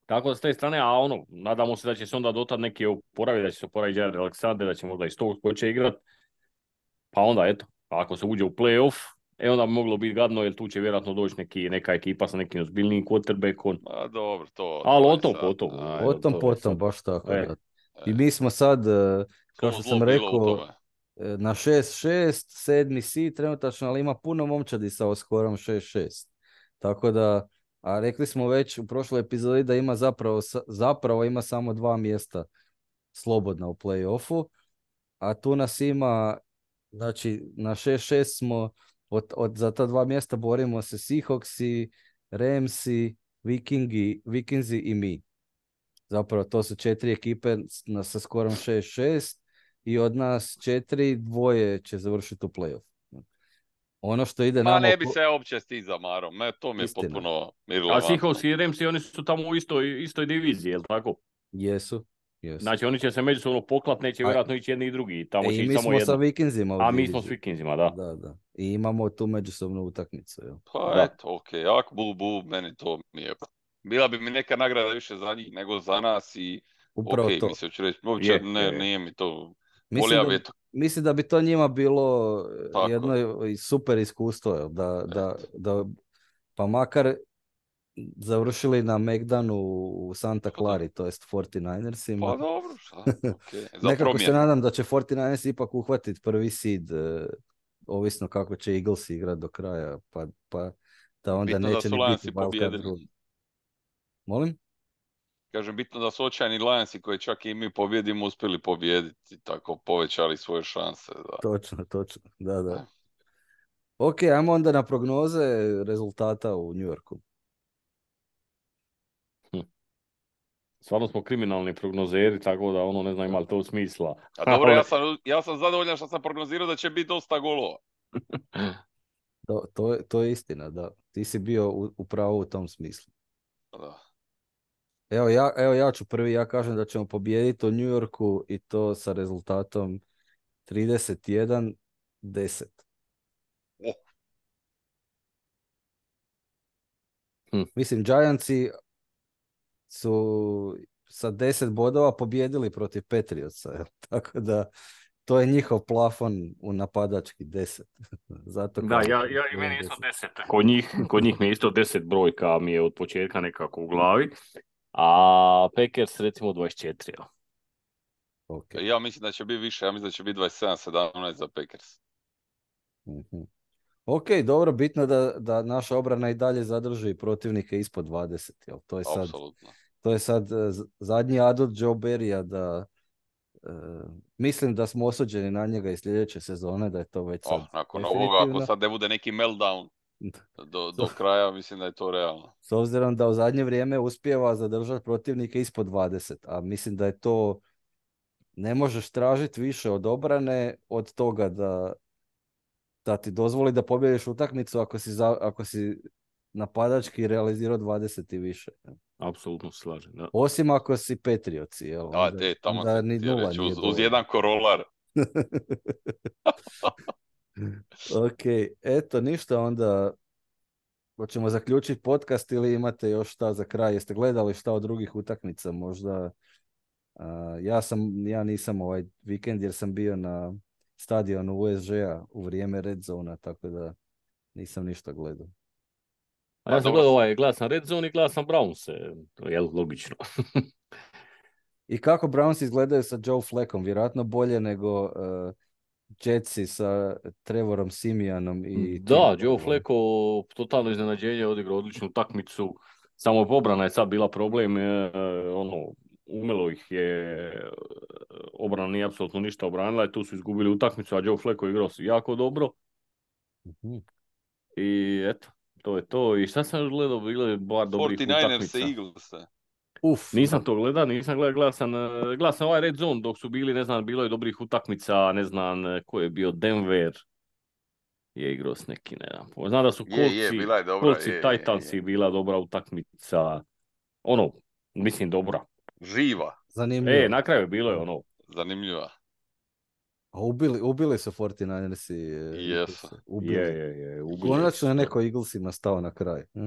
tako da s te strane, a ono, nadamo se da će se onda dotad neki oporaviti, da će se oporaviti Jared Alexander, da će možda i sto će igrat. Pa onda, eto, ako se uđe u playoff, e onda bi moglo biti gadno, jer tu će vjerojatno doći neki, neka ekipa sa nekim ozbiljnijim quarterbackom. A dobro, to, Ali to o je tom, sad. potom, Ajde. O tom to je potom, sad. baš tako, E, da. I E, mi smo sad, eh, kao Svo što zlo sam bilo u rekao, tome. eh, na šest šest, sedmi si trenutačno, ali ima puno momčadi sa oskorom šest šest. Tako da, a rekli smo već u prošloj epizodi da ima zapravo, sa- zapravo ima samo dva mjesta slobodna u play-offu, a tu nas ima, znači na šest šest smo, od, od, za ta dva mjesta borimo se Seahawksi, Ramsi, Vikingi, Vikingsi i mi. Zapravo to su četiri ekipe na, sa skorom šest šest i od nas četiri, dvoje će završiti u play-off. Ono što ide Ma nama... ne bi se ja uopće sti za Marom, ne, to mi je Istina. potpuno A irelevantno. Seahawks i Ramsi, oni su tamo u istoj, istoj diviziji, jel tako? Jesu. Jesu. Znači oni će se međusobno poklat, neće A- vjerojatno ići jedni i drugi. Tamo E, će i ići mi samo smo sa jedna. Vikinzima u A mi smo s diviziji. Vikinzima, da. Da, da. I imamo tu međusobnu utakmicu. Jel? Pa Da. eto, okej, okay. Ak bu, bu, meni to mi je... Bila bi mi neka nagrada više za njih nego za nas i... Upravo Okej, to. mislim, ću reći, uopće Je, ne, je. nije mi to... Mislim Volija da, bi to... mislim da bi to njima bilo Tako. jedno super iskustvo. Jel? Da, da, da, pa makar završili na Megdanu u Santa Clari, to jest forty-ninersima. Pa dobro, šta, okej. Za Nekako se promjenu. nadam da će forty-niners ipak uhvatiti prvi seed, uh, ovisno kako će Eagles igrati do kraja, pa, pa da onda Bitno da neće su ni Lionsi biti wildcard pobijedili. rund. Molim? Kažem, bitno da su očajni Lionsi koji čak i mi pobjedimo uspjeli pobijediti, tako povećali svoje šanse. Da. Točno, točno, da, da. Ok, ajmo onda na prognoze rezultata u New Yorku. Stvarno smo kriminalni prognozeri, tako da ono ne znam ima li to smisla. A dobro, ja sam, ja sam zadovoljan što sam prognozirao da će biti dosta golova. To, to, je, to je istina, da. Ti si bio u, u pravu u tom smislu. Da. Evo ja, evo ja ću prvi, ja kažem da ćemo pobijediti u New Yorku i to sa rezultatom trideset jedan deset. Oh. Hm. Mislim, Giantsi su sa deset bodova pobijedili protiv Patriotsa, jel? Tako da to je njihov plafon u napadački deset. Zato Da, kažem, ja, ja i meni deset. isto deset. Kod njih, kod njih mi je isto deset brojka mi je od početka nekako u glavi. A Packers recimo dvadeset četiri. Ja. Okay. Ja mislim da će biti više, ja mislim da će biti dvadeset sedam sedamnaest za Packers. Mm-hmm. Ok, dobro, bitno da, da naša obrana i dalje zadrži protivnike ispod dvadeset. Jel? To je sad, Apsolutno. to je sad zadnji adut Joe Barrya da uh, mislim da smo osuđeni na njega i sljedeće sezone, da je to već sad Oh, nakon definitivno. ovoga, ako sad ne bude neki meltdown do, do kraja, mislim da je to realno. S obzirom da u zadnje vrijeme uspijeva zadržati protivnike ispod dvadeset, a mislim da je to, ne možeš tražiti više od obrane od toga da, da ti dozvoli da pobjediš utakmicu ako si, za, ako si napadački realizirao dvadeset i više. Apsolutno slažem, da. Osim ako si Patriotsi, jel? Da, Onda, te, tamo onda sam ni htio nula reći, nije uz, uz dovoljno. jedan korolar. Ok, eto, ništa, onda hoćemo zaključiti podcast ili imate još šta za kraj? Jeste gledali šta od drugih utakmica? Možda uh, ja sam, ja nisam ovaj vikend jer sam bio na stadionu U S G-a u vrijeme Red Zona, tako da nisam ništa gledao. A ja Pa sam dobro. gledao ovaj glas na Red Zone i glas na Brownse, to je logično. I kako Browns izgledaju sa Joe Flackom? Vjerojatno bolje nego uh, Jetsi sa Trevorom Simijanom i... Da, Tim Joe Boylom. Flacco totalno iznenađenje, odigrao odličnu utakmicu. Samo obrana je sad bila problem, e, ono, umelo ih je, obrana nije apsolutno ništa obranila i tu su izgubili utakmicu, a Joe Flacco je igrao jako dobro. Uh-huh. I eto, to je to. I šta sam još gledao, bilo je bar dobrih forty-niners utakmica. i Eagles. Uf, Nisam to gledao, nisam gledao, gledao sam, gledao sam ovaj Red Zone dok su bili, ne znam, bilo je dobrih utakmica, ne znam, ko je bio, Denver je igrao s neki, ne znam. Znam da su Je, je, Coltsi, bila je dobra, Coltsi je, je, Titansi je. bila dobra utakmica. Ono, mislim dobra. Živa, zanimljivo. E, na kraju je bilo je ono. zanimljiva. A ubili, ubili su forty-ninersi. Jesu. Ubili. Je, je, je. ubili Konačno su je to. neko Eaglesima stao na kraj. Hm?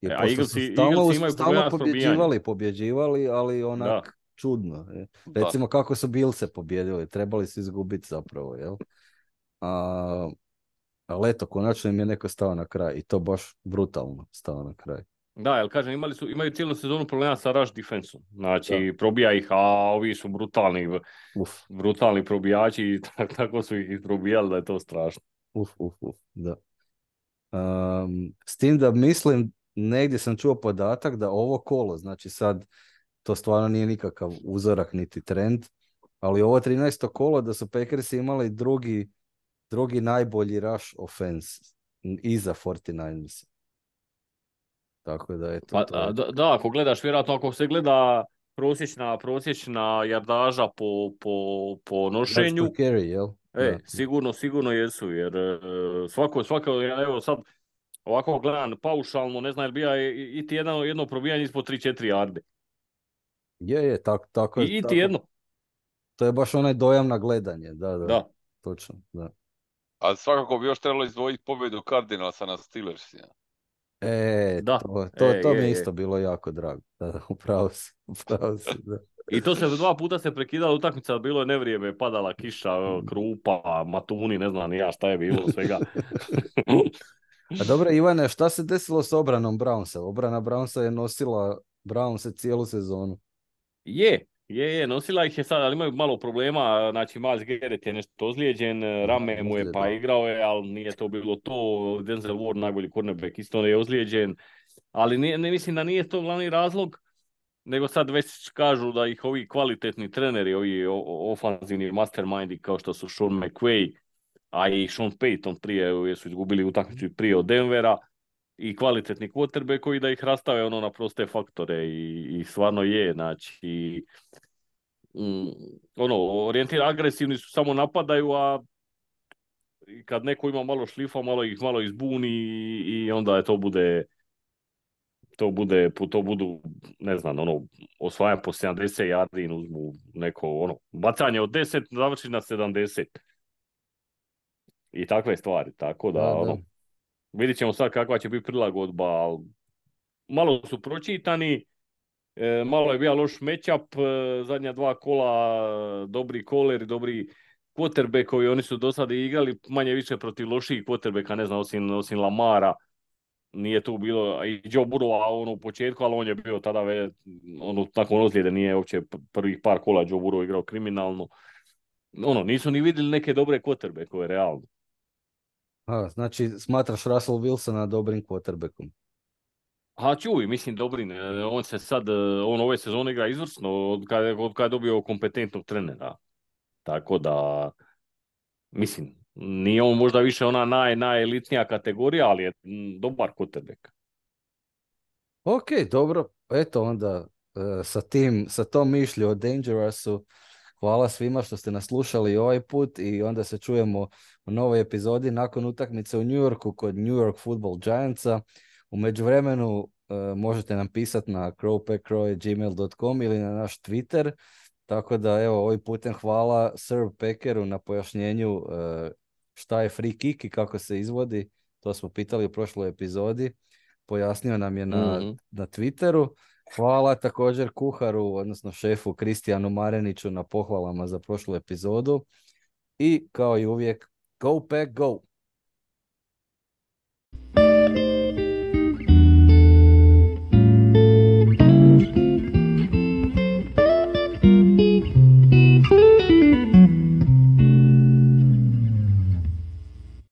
Jer E, a pošto Eaglesi- su stalno, Eaglesi imaju stalno problema s pobjeđivali, pobjeđivali, ali onak Da. čudno. Je. Da. Recimo kako su Billse pobjedili, trebali su izgubiti zapravo, jel? A, ali eto, konačno im je neko stao na kraj i to baš brutalno stao na kraj. Da, jel kažem, imali su, imaju cijelu sezonu problema sa rush defensom. Znači, Da. probija ih, a ovi su brutalni, Uf, brutalni probijači i tak- tako su ih isprobijali da je to strašno. uf, uf, uf, da. Um, s tim da mislim, negdje sam čuo podatak da ovo kolo, znači sad to stvarno nije nikakav uzorak niti trend, ali ovo trinaesto kolo da su Packersi imali drugi, drugi najbolji rush offense iza forty-niners. Tako da eto, Pa, to je... da, da, ako gledaš, vjerojatno ako se gleda prosječna, prosječna jardaža po, po, po nošenju. Yards per carry, jel? E, Da. sigurno, sigurno jesu, jer e, svako, svako, ja evo sad ovako gledam paušalno, ne znam jel bija i, i ti jedno, jedno probijanje ispod tri četiri jarde. Je, je, tako, tako, I, i ti tako. jedno. To je baš onaj dojam na gledanje, da, da, Da. točno, da. A svakako bi još trebalo izdvojiti pobjedu Cardinalsa na Steelersima. E, Da. to, to, E, to mi je, je je. isto bilo jako drago. Da, da, upravo si, upravo si, da. I to se dva puta se prekidala utakmica, bilo je nevrijeme, padala kiša, krupa, matuni, ne znam ni ja šta je bilo svega. A dobro, Ivane, šta se desilo s obranom Brownsa? Obrana Brownsa je nosila Brownse cijelu sezonu. Je, je, je, nosila ih je sad, ali imaju malo problema, znači Miles Garrett je nešto ozlijeđen, rame mu je pa da. igrao je, ali nije to bilo to, Denzel Ward, najbolji cornerback, isto je ozlijeđen, ali nije, ne mislim da nije to glavni razlog, nego sad već kažu da ih ovi kvalitetni treneri, ovi ofanzivni mastermindi kao što su Sean McVay, a i Sean Payton prije, jer su izgubili utakmicu prije od Denvera, i kvalitetni quarterbackovi da ih rastave ono na proste faktore i, i stvarno je, znači mm, ono, orijentir agresivni su, samo napadaju, a kad neko ima malo šlifa, malo ih malo izbuni i, i onda je to bude to bude, to budu, ne znam, ono, osvaja po sedamdeset yardi, uzmu neko, ono, bacanje od deset završi na sedamdeset. I takve stvari, tako da, Da, da. ono, vidit ćemo sad kakva će biti prilagodba, ali malo su pročitani, e, malo je bio loš matchup, e, zadnja dva kola, e, dobri koleri, dobri quarterbackovi, oni su do sada igrali manje više protiv loših quarterbacka, ne znam, osim, osim Lamara, nije tu bilo, i Joe Burrow, ono u početku, ali on je bio tada, ve, ono, nakon ozljede, nije uopće prvih par kola Joe Burrow igrao kriminalno. Ono, nisu ni vidjeli neke dobre quarterbackove, realno. A, znači, smatraš Russell Wilsona dobrim quarterbackom? A čuj, mislim dobri, on se sad, on ove sezone igra izvrsno od kada od kad je dobio kompetentnog trenera. Tako da, mislim, nije on možda više ona naj, najelitnija kategorija, ali je m, dobar quarterback. Ok, dobro. Eto onda, e, sa, tim, sa tom mišlju o Dangerousu, hvala svima što ste nas slušali ovaj put i onda se čujemo u novoj epizodi nakon utakmice u New Yorku kod New York Football Giantsa. U međuvremenu e, možete nam pisati na crow pack crow at gmail dot com ili na naš Twitter. Tako da, evo, ovim putem hvala Sir Packeru na pojašnjenju e, šta je free kick i kako se izvodi. To smo pitali u prošloj epizodi. Pojasnio nam je na, Mm-hmm. na Twitteru. Hvala također kuharu, odnosno šefu Kristijanu Mareniću na pohvalama za prošlu epizodu. I kao i uvijek, go pack go!